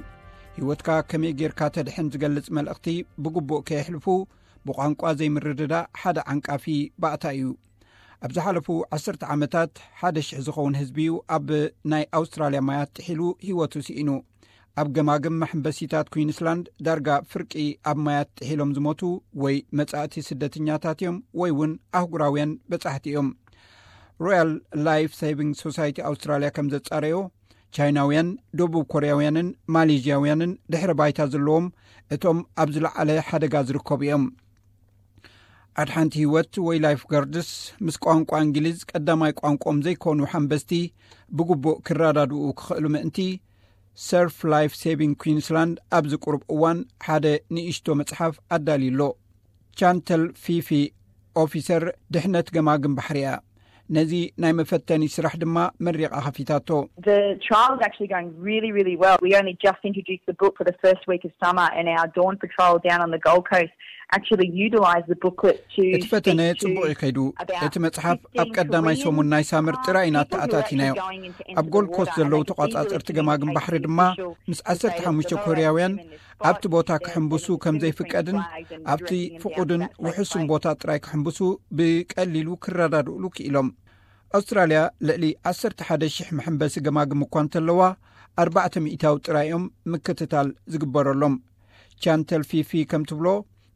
ህይወትካ ከመይ ጌርካ ተድሕን ዝገልጽ መልእኽቲ ብግቡእ ከየሕልፉ ብቋንቋ ዘይምርድዳእ ሓደ ዓንቃፊ ባእታ እዩ። ኣብ ዝሓለፉ ዓሰርተ ዓመታት ሓደ ሽሕ ዝኸውን ህዝቢ እዩ ኣብ ናይ ኣውስትራልያ ማያት ጥሒሉ ህይወቱ ስኢኑ። ኣብ ገማግም መሐንበሲታት ኩዊንስላንድ ዳርጋ ፍርቂ ኣብ ማያት ጥሒሎም ዝሞቱ ወይ መጻእቲ ስደተኛታት እዮም ወይ እውን ኣህጉራውያን በጻሕቲ እዮም። ሮያል ላይፍ ሴቪንግ ሶሳይቲ ኣውስትራልያ ከም ዘጻረዮ፣ ቻይናውያን፣ ደቡብ ኮርያውያንን ማሌዥያውያንን ድሕረ ባይታ ዘለዎም እቶም ኣብ ዝለዓለ ሓደጋ ዝርከቡ እዮም። ኣድሓንቲ ህይወት ወይ ላይፍ ጋርድስ ምስ ቋንቋ እንግሊዝ ቀዳማይ ቋንቋኦም ዘይኮኑ ሓንበስቲ ብግቡእ ክረዳድኡ ክኽእሉ ምእንቲ፣ ሰርፍ ላይፍ ሴቪንግ ኩዊንስላንድ ኣብዚ ቁሩብ እዋን ሓደ ንእሽቶ መጽሓፍ ኣዳልዩ ኣሎ። ቻንተል ፊፊ፣ ኦፊሰር ድሕነት ገማግም ባሕሪ እያ። ነዚ ናይ መፈተኒ ስራሕ ድማ መሪቓ ከፊታቶ። The trial is actually going really, really well. We only just introduced the book for the first week of summer, and our dawn patrol down on the Gold Coast actually utilised the booklet to እቲ ፈተነ speak to ጽቡቕ እዩ ከይዱ። about እቲ መጽሓፍ ኣብ fifteen ቀዳማይ Koreans, ሰሙን ናይ ሳመር um, ጥራይ ኢና people who are actually ተኣታቲናዮ። going into ኣብ enter ጎልድ the ኮስት water, ዘለዉ and it's ተቋጻጸርቲ easily ገማግም ባሕሪ ድማ communicated ምስ to say ዓሰርተ ሓሙሽተ the local ኮርያውያን women in the ኣብቲ ቦታ spot, ክሕንብሱ then ከም moving between ዘይፍቀድን flags and ኣብቲ directing them down ፍቑድን to that safe ውሑስን place. ቦታ ጥራይ ክሕንብሱ ብቀሊሉ ክረዳድእሉ ክኢሎም። ኣውስትራልያ ልዕሊ ዓሰርተ ሓደ ሽሕ መሐንበሲ ገማግም እኳ እንተለዋ፣ ኣርባዕተ ሚእታዊ ጥራይ እዮም ምክትታል ዝግበረሎም። ቻንተል ፊፊ ከም ትብሎ፣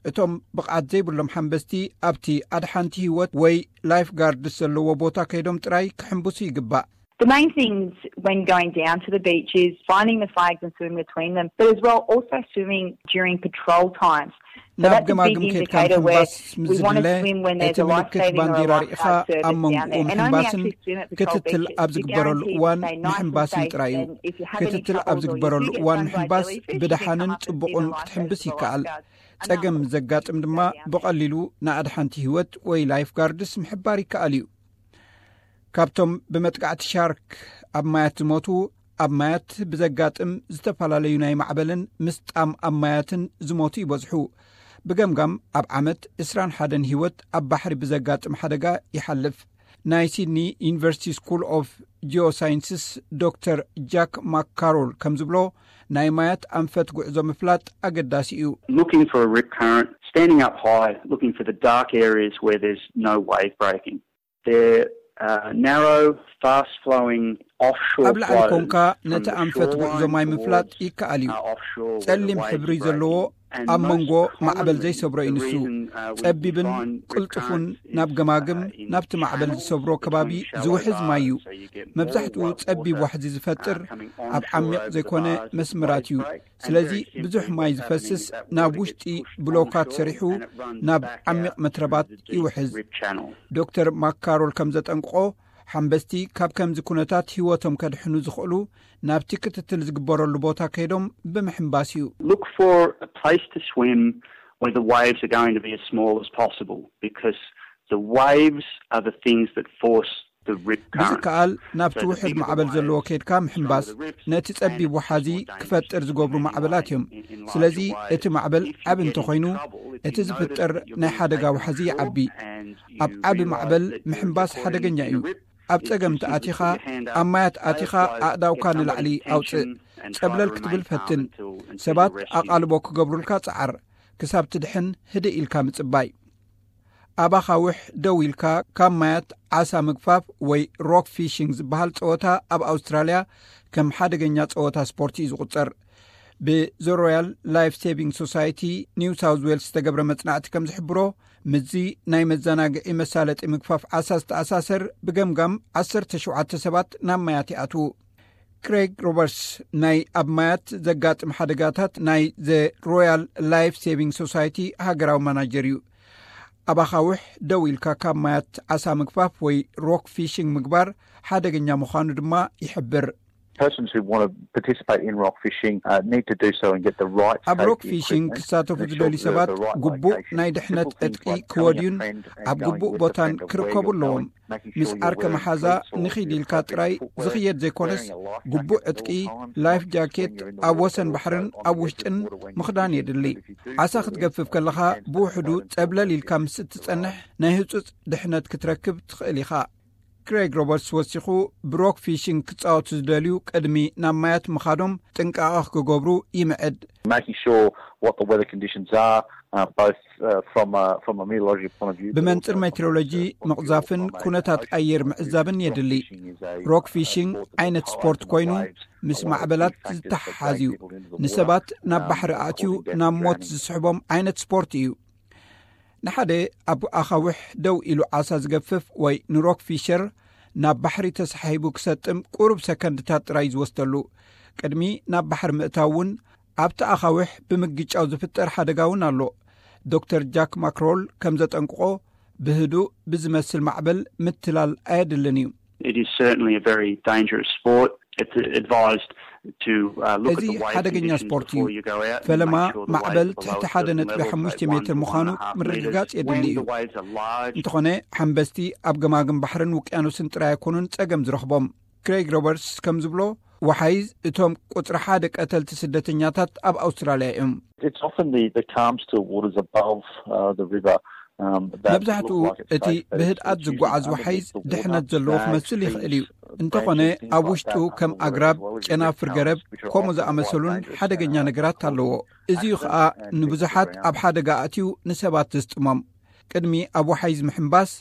እቶም ብቕዓት ዘይብሎም ሓንበስቲ ኣብቲ ኣድሓንቲ ህይወት ወይ ላይፍ ጋርድስ ዘለዎ ቦታ ከይዶም ጥራይ ክሕንብሱ ይግባእ። The main things when going down to the beach is finding the flags and swimming between them, but as well also swimming during patrol times. So ናብ that's a big ገማግም ከድካ indicator where ምሕንባስ ምስ we want to ዝድለ፣ swim when there's እቲ a ምልክት life-saving or a ባንዲራ ርኢኻ lifeguard ኣብ service down መንጎኡ there. And only ምሕንባስን actually swim at patrol ክትትል beaches ኣብ if you're ዝግበረሉ guaranteed እዋን to stay nice and ምሕንባስን safe. ጥራይ እዩ። And if you have any ክትትል ኣብ troubles or you ዝግበረሉ do get እዋን sun-dried ምሕንባስ jellyfish, you can ብደሓንን come up and see ጽቡቕን the ክትሕንብስ lifesavers or ይከኣል። lifeguards. ጸገም ዘጋጥም ድማ ብቐሊሉ ንኣድሓንቲ ህይወት ወይ ላይፍ ጋርድስ ምሕባር ይከኣል እዩ። ካብቶም ብመጥቃዕቲ ሻርክ ኣብ ማያት ዝሞቱ፣ ኣብ ማያት ብዘጋጥም ዝተፈላለዩ ናይ ማዕበልን ምስጣም ኣብ ማያትን ዝሞቱ ይበዝሑ። ብገምጋም ኣብ ዓመት ዕስራን ሓደን ህይወት ኣብ ባሕሪ ብዘጋጥም ሓደጋ ይሓልፍ። ናይ ሲድኒ ዩኒቨርሲቲ ስኩል ኦፍ ጂኦሳይንስስ ዶክተር ጃክ ማካሮል ከም ዝብሎ፣ ናይ ማያት ኣንፈት ጉዕዞ ምፍላጥ ኣገዳሲ እዩ። Looking for a rip current, standing up high, looking for the dark areas where there's no wave breaking. They're uh, narrow, fast flowing offshore ኣብ ላዕሊ flows ኮንካ from ነቲ the ኣንፈት ጉዕዞ shoreline ማይ ምፍላጥ towards, ይከኣል እዩ። uh, offshore where the ጸሊም waves ሕብሪ are ዘለዎ breaking. And ኣብ most መንጎ ማዕበል commonly, ዘይሰብሮ እዩ the ንሱ። reason, uh, we ጸቢብን find rip ቅልጡፉን currents ናብ is, ገማግም uh, in ናብቲ ማዕበል channels ዝሰብሮ ከባቢ between shallow ዝውሕዝ ማይ እዩ። water, so you get more መብዛሕትኡ water ጸቢብ water, ዋሕዚ ዝፈጥር uh, coming ኣብ onshore ዓሚቕ over the ዘይኮነ bars of መስመራት እዩ። wave break. And ስለዚ very simply, ብዙሕ ማይ what's happening ዝፈስስ is that ናብ water gets ውሽጢ pushed ብሎካት onshore ሰሪሑ and it runs ናብ back ዓሚቕ out መትረባት into the deep ይውሕዝ። rip channel. ዶክተር ማካሮል ከም ዘጠንቅቆ፣ ሓንበስቲ ካብ ከምዚ ኩነታት ህይወቶም ከድሕኑ ዝኽእሉ ናብቲ ክትትል ዝግበረሉ ቦታ ከይዶም ብምሕንባስ እዩ። Look for a place to swim where the waves are going to be as small as possible, because the waves are the things that force the rip current. ብዝከኣል ናብቲ ውሕድ ማዕበል ዘለዎ ከይድካ ምሕንባስ ነቲ ጸቢብ ወሓዚ ክፈጥር ዝገብሩ ማዕበላት እዮም። ስለዚ እቲ ማዕበል ዓቢ እንተኾይኑ፣ እቲ ዝፍጠር ናይ ሓደጋ ወሓዚ ይዓቢ። ኣብ ዓቢ ማዕበል ምሕንባስ ሓደገኛ እዩ። ኣብ ጸገም ተኣቲኻ፣ ኣብ ማያት ኣቲኻ ኣእዳውካ ንላዕሊ ኣውጽእ። ጸብለል ክትብል ፈትን። ሰባት ኣቓልቦ ክገብሩልካ ጸዓር። ክሳብ ትድሕን ህድእ ኢልካ ምጽባይ። ኣብ ኣኻውሕ ደው ኢልካ ካብ ማያት ዓሳ ምግፋፍ ወይ ሮክ ፊሽንግ ዝበሃል ጸወታ ኣብ ኣውስትራልያ ከም ሓደገኛ ጸወታ ስፖርት እዩ ዝቑጸር። ብዘ ሮያል ላይፍ ሴቪንግ ሶሳይቲ ኒው ሳውዝ ዌልስ ዝተገብረ መጽናዕቲ ከም ዝሕብሮ፣ ምስዚ ናይ መዘናግዒ መሳለጢ ምግፋፍ ዓሳ ዝተኣሳሰር ብገምጋም ዓሰርተ ሸውዓተ ሰባት ናብ ማያት ይኣትዉ። ክሬግ ሮበርትስ ናይ ኣብ ማያት ዘጋጥም ሓደጋታት ናይ ዘ ሮያል ላይፍ ሴቪንግ ሶሳይቲ ሃገራዊ ማናጀር እዩ። ኣብ ኣኻውሕ ደው ኢልካ ካብ ማያት ዓሳ ምግፋፍ ወይ ሮክ ፊሽንግ ምግባር ሓደገኛ ምዃኑ ድማ ይሕብር። Persons who want to participate in rock fishing uh, need to do so and get the right ኣብ rock fishing ክሳተፉ ዝደልዩ ሰባት ግቡእ ናይ ድሕነት ዕጥቂ ክወድዩን ኣብ ግቡእ ቦታን ክርከቡ ኣለዎም። ምስ ዓርከ መሓዛ ንኺድ ኢልካ ጥራይ ዝኽየድ ዘይኮነስ፣ ግቡእ ዕጥቂ፣ life jacket፣ ኣብ ወሰን ባሕርን ኣብ ውሽጥን ምኽዳን የድሊ። ዓሳ ክትገፍፍ ከለኻ ብውሕዱ ጸብለል ኢልካ ምስ እትጸንሕ፣ ናይ ህጹጽ ድሕነት ክትረክብ ትኽእል ኢኻ። ክሬግ ሮበርትስ ወሲኹ፣ ብሮክ ፊሽንግ ክጻወቱ ዝደልዩ ቅድሚ ናብ ማያት ምኻዶም ጥንቃቐ ክገብሩ ይምዕድ። Making sure what the weather conditions are, uh, both uh, from a, from a meteorology point of view. ብመንጽር ሜትሮሎጂ ምቕዛፍን ኩነታት ኣየር ምዕዛብን የድሊ። ሮክ ፊሽንግ ዓይነት ስፖርት ኮይኑ፣ ምስ ማዕበላት ዝተሓሓዝ እዩ። ንሰባት ናብ ባሕሪ ኣእትዩ ናብ ሞት ዝስሕቦም ዓይነት ስፖርት እዩ። ንሓደ ኣብ ኣኻውሕ ደው ኢሉ ዓሳ ዝገፍፍ ወይ ንሮክ ፊሸር ናብ ባሕሪ ተሳሒቡ ክሰጥም ቁሩብ ሰከንድታት ጥራይ ዝወስደሉ። ቅድሚ ናብ ባሕሪ ምእታው እውን ኣብቲ ኣኻውሕ ብምግጫው ዝፍጠር ሓደጋ እውን ኣሎ። ዶክተር ጃክ ማክሮል ከም ዘጠንቅቖ፣ ብህዱእ ብዝመስል ማዕበል ምትላል ኣየድልን እዩ። It is certainly a very dangerous sport. It's advised to uh, look at እዚ the wave ሓደገኛ conditions ስፖርት እዩ። Before you go out. ፈለማ Make sure the ማዕበል wave's ትሕቲ below ሓደ certain ነጥቢ levels, ሓሙሽተ say ሜትር one to ምዃኑ one and a half ምርግጋጽ metres. የድሊ When እዩ። The waves are large, እንተኾነ፣ ሓንበስቲ ኣብ ገማግም ባሕርን ውቅያኖስን ጥራይ ኣይኮኑን ጸገም ዝረኽቦም። ክሬግ ሮበርትስ ከም ዝብሎ፣ ወሓይዝ እቶም ቁጽሪ ሓደ ቀተልቲ ስደተኛታት ኣብ ኣውስትራልያ እዮም። It's often the, the calm, still waters above uh, the river. Um, that መብዛሕትኡ look like it's እቲ safe, but it's- ብህድኣት it's usually ዝጓዓዝ underneath ወሓይዝ the water, ድሕነት ዘለዎ snags, ክመስል ይኽእል እዩ። trees, እንተኾነ፣ branches, things ኣብ like ውሽጡ that, ከም under the ኣግራብ፣ waves, as well as ጨናፍር river ገረብ፣ shells, which are ከምኡ often quite ዝኣመሰሉን dangerous ሓደገኛ snags. ነገራት ኣለዎ። እዚዩ ኸኣ ንብዙሓት ኣብ ሓደጋ ኣእትዩ ንሰባት ዘስጥሞም። ቅድሚ ኣብ ወሓይዝ ምሕንባስ፣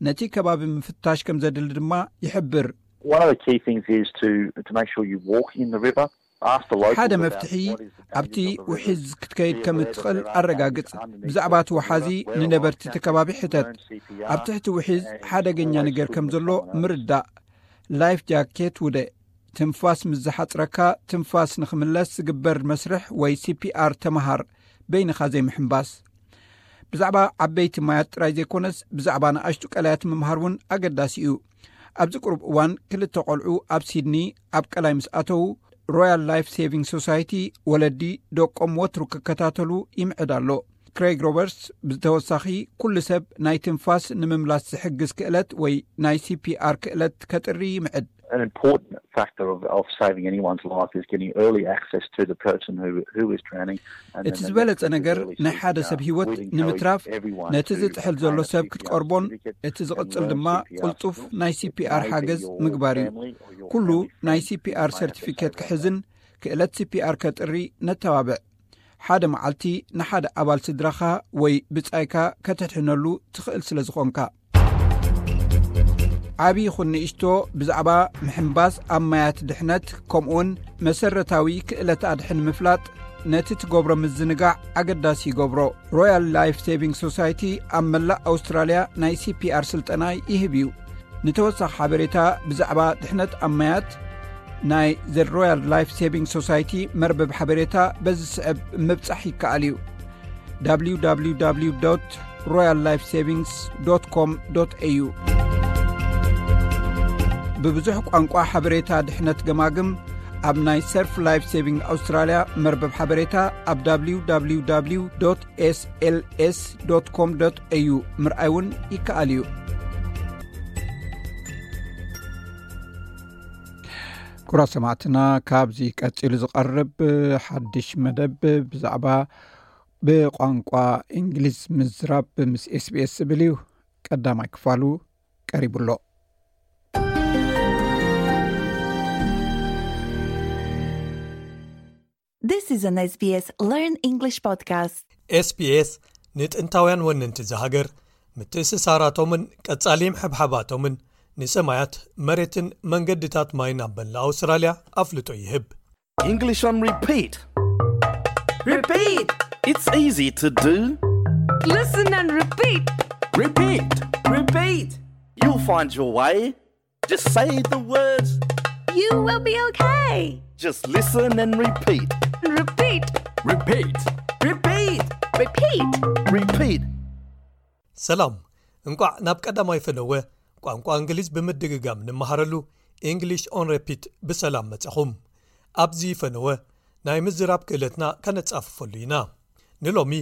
ነቲ ከባቢ ምፍታሽ ከም ዘድሊ ድማ ይሕብር። One of the key things is to, to make sure you walk in the river. Ask the locals ሓደ about መፍትሒ፣ what is the ኣብቲ dangers of the river. ውሒዝ ክትከይድ ከም እትኽእል ኣረጋግጽ። ብዛዕባ እቲ ወሓዚ ንነበርቲ እቲ ከባቢ ሕተት። ኣብ ትሕቲ ውሒዝ ሓደገኛ ነገር ከም ዘሎ ምርዳእ። ላይፍ ጃኬት ውደ። ትንፋስ ምስ ዝሓጽረካ፣ ትንፋስ ንኽምለስ ዝግበር መስርሕ ወይ ሲፒኣር ተመሃር። በይንኻ ዘይምሕንባስ። ብዛዕባ ዓበይቲ ማያት ጥራይ ዘይኮነስ፣ ብዛዕባ ንኣሽቱ ቀላያት ምምሃር እውን ኣገዳሲ እዩ። ኣብዚ ቁሩብ እዋን ክልተ ቆልዑ ኣብ ሲድኒ ኣብ ቀላይ ምስ ኣተዉ፣ ሮያል ላይፍ ሴቪንግ ሶሳይቲ ወለዲ ደቆም ወትሩ ክከታተሉ ይምዕድ ኣሎ። ክሬግ ሮበርትስ ብተወሳኺ፣ ኩሉ ሰብ ናይ ትንፋስ ንምምላስ ዝሕግዝ ክእለት ወይ ናይ ሲፒኣር ክእለት ከጥሪ ይምዕድ። An important factor of, of saving anyone's life is getting early access to the person who, who is drowning. And እቲ ዝበለጸ ነገር ናይ ሓደ ሰብ ህይወት ንምትራፍ ነቲ ዝጥሕል ዘሎ ሰብ ክትቀርቦን እቲ ዝቕጽል ድማ ቅልጡፍ ናይ ሲፒኣር ሓገዝ ምግባር እዩ። ኩሉ ናይ ሲፒኣር ሰርቲፊኬት ክሕዝን ክእለት ሲፒኣር ከጥሪ ነተባብዕ። ሓደ መዓልቲ ንሓደ ኣባል ስድራኻ ወይ ብጻይካ ከተድሕነሉ ትኽእል ስለ ዝኾንካ። ዓቢ ይኹን ንእሽቶ፣ ብዛዕባ ምሕንባስ ኣብ ማያት ድሕነት፣ ከምኡውን መሰረታዊ ክእለት ኣድሕን ምፍላጥ፣ ነቲ ትገብሮ ምዝንጋዕ ኣገዳሲ ይገብሮ። ሮያል ላይፍ ሴቪንግ ሶሳይቲ ኣብ መላእ ኣውስትራልያ ናይ ሲፒኣር ስልጠና ይህብ እዩ። ንተወሳኺ ሓበሬታ ብዛዕባ ድሕነት ኣብ ማያት፣ ናይ ዘ ሮያል ላይፍ ሴቪንግ ሶሳይቲ መርበብ ሓበሬታ በዚ ስዕብ ምብጻሕ ይከኣል እዩ። www royal life savings com au። ብብዙሕ ቋንቋ ሓበሬታ ድሕነት ገማግም ኣብ ናይ ሰርፍ ላይፍ ሴቪንግ ኣውስትራልያ መርበብ ሓበሬታ ኣብ www slscom au ምርኣይ እውን ይከኣል እዩ። ኩራ ሰማዕትና፣ ካብዚ ቀጺሉ ዝቐርብ ሓድሽ መደብ ብዛዕባ ብቋንቋ እንግሊዝ ምዝራብ ምስ ኤስቢኤስ ዝብል እዩ። ቀዳማይ ክፋሉ ቀሪቡ ኣሎ። This is an S B S Learn English podcast. ኤስቢኤስ ንጥንታውያን ወነንቲ እዛ ሃገር፣ ምትእስሳራቶምን ቀጻሊ ምሕብሓባቶምን ንሰማያት፣ መሬትን መንገድታት ማይን ኣብ መላእ ኣውስትራልያ ኣፍልጦ ይህብ። English on repeat. Repeat. It's easy to do. Listen and repeat. Repeat. Repeat. You'll find your way. Just say the words. You will be okay. Just listen and repeat. Repeat. Repeat. Repeat. Repeat. Repeat. ሰላም፣ እንቋዕ ናብ ቀዳማይ ፈነወ ቋንቋ እንግሊዝ ብምድግጋም ንመሃረሉ English on Repeat ብሰላም መጻኹም። ኣብዚ ፈነወ ናይ ምዝራብ ክእለትና ከነጻፍፈሉ ኢና። ንሎሚ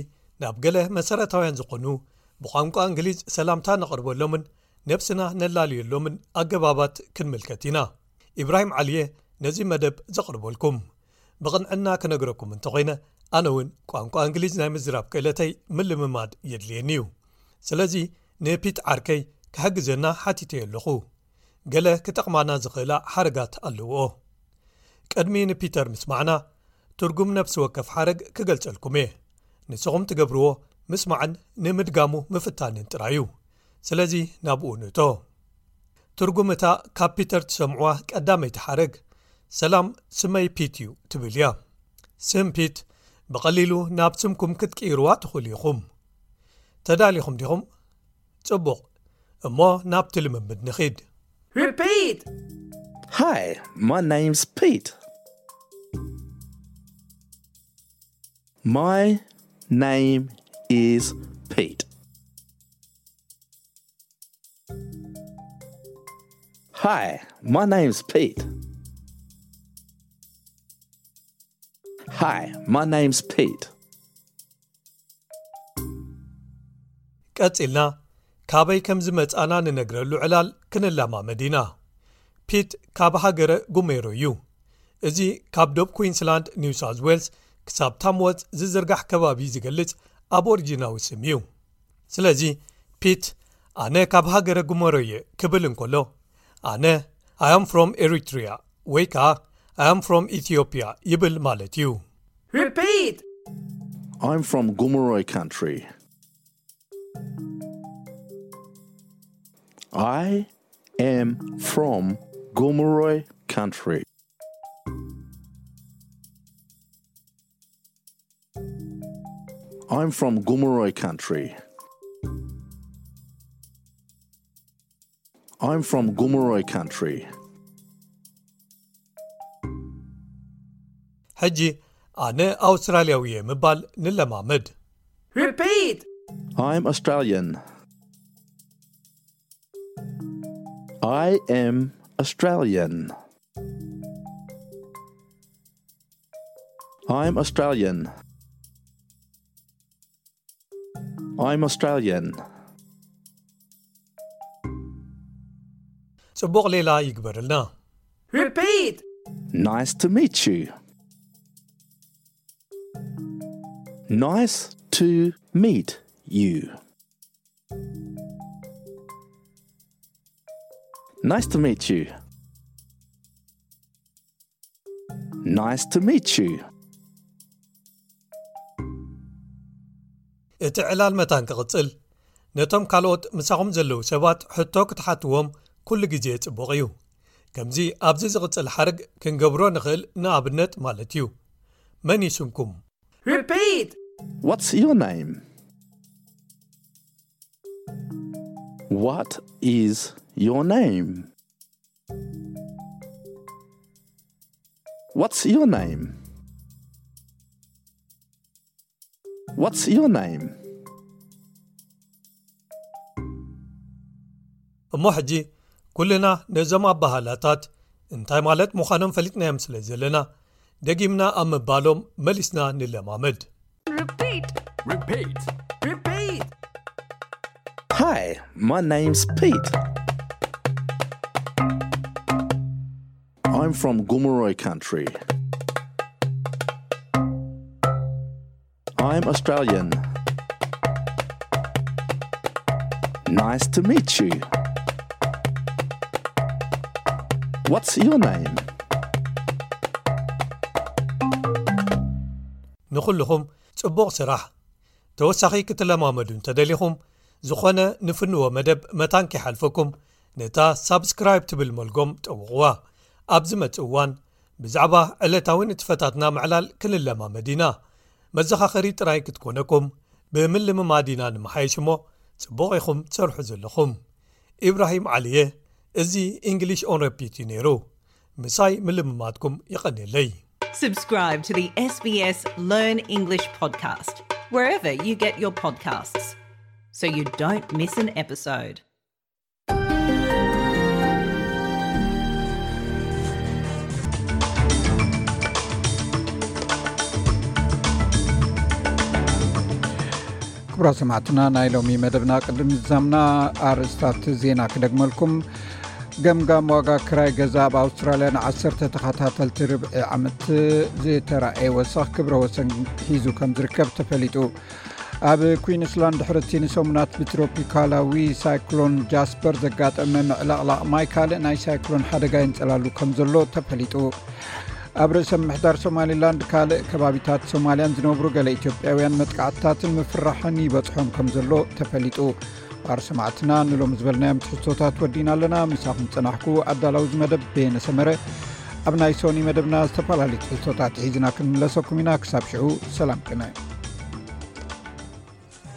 ናብ ገለ መሰረታውያን ዝኾኑ ብቋንቋ እንግሊዝ ሰላምታ ነቕርበሎምን ነብስና ነላልየሎምን ኣገባባት ክንምልከት ኢና። ኢብራሂም ዓሊየ ነዚ መደብ ዘቕርበልኩም። ብቕንዕና ክነግረኩም እንተኾይነ፣ ኣነ እውን ቋንቋ እንግሊዝ ናይ ምዝራብ ክእለተይ ምልምማድ የድልየኒ እዩ። ስለዚ ንፒት ዓርከይ ክሕግዘና ሓቲተዮ ኣለኹ። ገለ ክጠቕማና ዝኽእላ ሓረጋት ኣለውኦ። ቅድሚ ንፒተር ምስማዕና፣ ትርጉም ነፍሲ ወከፍ ሓረግ ክገልጸልኩም እየ። ንስኹም ትገብርዎ ምስማዕን ንምድጋሙ ምፍታንን ጥራይ እዩ። ስለዚ ናብኡ ንእቶ። ትርጉም እታ ካብ ፒተር ትሰምዕዋ ቀዳመይቲ ሓረግ፣ "ሰላም፣ ስመይ ፒት እዩ" ትብል እያ። ስም ፒት ብቐሊሉ ናብ ስምኩም ክትቅይርዋ ትኽእሉ ኢኹም። ተዳሊኹም ዲኹም? ጽቡቕ። እሞ ናብቲ ልምምድ ንኺድ። Repeat! Hi, my name's Pete. My name is Pete. Hi, my name's Pete. Hi, my name's Pete. ቀጺልና ካበይ ከም ዝመጻና ንነግረሉ ዕላል ክንለማመድ ኢና። ፒት ካብ ሃገረ ጉሜሮ እዩ። እዚ ካብ ዶብ ኩዊንስላንድ፣ ኒው ሳውዝ ዌልስ ክሳብ ታምወዝ ዝዝርጋሕ ከባቢ ዝገልጽ ኣቦሪጂናዊ ስም እዩ። ስለዚ ፒት ኣነ ካብ ሃገረ ጉሜሮ እየ ክብል እንከሎ፣ ኣነ "I am from Eritrea" ወይ ከኣ "I am from Ethiopia" ይብል ማለት እዩ። Repeat! I'm from Gomeroi country. I am from Gomeroi country. I'm from Gomeroi country. I'm from Gomeroi country. ሕጂ ኣነ ኣውስትራልያዊ እየ ምባል ንለማመድ። Repeat! I'm Australian. I am Australian. I'm Australian. I'm Australian. ጽቡቕ ሌላ ይግበርልና። Repeat! Nice to meet you. Nice to meet you. Nice to meet you. Nice to meet you. እቲ ዕላል መታን ክቕጽል፣ ነቶም ካልኦት ምሳኹም ዘለዉ ሰባት ሕቶ ክትሓትዎም ኩሉ ግዜ ጽቡቕ እዩ። ከምዚ ኣብዚ ዝቕጽል ሓረግ ክንገብሮ ንኽእል፣ ንኣብነት ማለት እዩ። መን እዩ ስምኩም? Repeat! What's your name? What is your name? What's your name? What's your name? እሞ ሕጂ ኩልና ነዞም ኣባሃላታት እንታይ ማለት ምዃኖም ፈሊጥናዮም ስለ ዘለና፣ ደጊምና ኣብ ምባሎም መሊስና ንለማመድ። Repeat! Repeat! Repeat! Hi, my name's Pete. I'm from Gomeroi country. I'm Australian. Nice to meet you. What's your name? ንኹልኹም ጽቡቕ ስራሕ። ተወሳኺ ክትለማመዱ እንተደሊኹም፣ ዝኾነ ንፍንዎ መደብ መታን ከይሓልፈኩም፣ ነታ ሳብስክራይብ ትብል መልጎም ጠውቕዋ። ኣብ ዝመጽእ እዋን፣ ብዛዕባ ዕለታዊ ንጥፈታትና ምዕላል ክንለማመድ ኢና። መዘኻኸሪ ጥራይ ክትኮነኩም፣ ብምልምማድ ኢና ንመሓየሽ እሞ፣ ጽቡቕ ኢኹም ትሰርሑ ዘለኹም። ኢብራሂም ዓሊየ፣ እዚ ኢንግሊሽ ኦን ረፒት እዩ ነይሩ። ምሳይ ምልምማድኩም የቐንየለይ። Subscribe to the S B S Learn English podcast wherever you get your podcasts so you don't miss an episode. ክቡራት ሰማዕትና፣ ናይ ሎሚ መደብና ቅድሚ ምዝዛምና ኣርእስታት ዜና ክደግመልኩም። ገምጋም ዋጋ ክራይ ገዛ ኣብ ኣውስትራልያ ንዓሰርተ ተኸታተልቲ ርብዒ ዓመት ዝተራእየ ወሰኽ ክብረ ወሰን ሒዙ ከም ዝርከብ ተፈሊጡ። ኣብ ኩዊንስላንድ ድሕርቲ ንሰሙናት ብትሮፒካላዊ ሳይክሎን ጃስፐር ዘጋጠመ ምዕልቕላቕ ማይ ካልእ ናይ ሳይክሎን ሓደጋ የንጸላሉ ከም ዘሎ ተፈሊጡ። ኣብ ርእሰ ምምሕዳር ሶማሊላንድ ካልእ ከባቢታት ሶማልያን ዝነብሩ ገለ ኢትዮጵያውያን መጥቃዕትታትን ምፍርራሕን ይበጽሖም ከም ዘሎ ተፈሊጡ። ክቡራት ሰማዕትና፣ ንሎሚ ዝበልናዮም ትሕዝቶታት ወዲና ኣለና። ምሳኹም ጸናሕኩ ኣዳላዊ እዚ መደብ በየነ ሰመረ። ኣብ ናይ ሶኒ መደብና ዝተፈላለዩ ትሕዝቶታት ሒዝና ክንምለሰኩም ኢና። ክሳብ ሽዑ ሰላም ቅነ።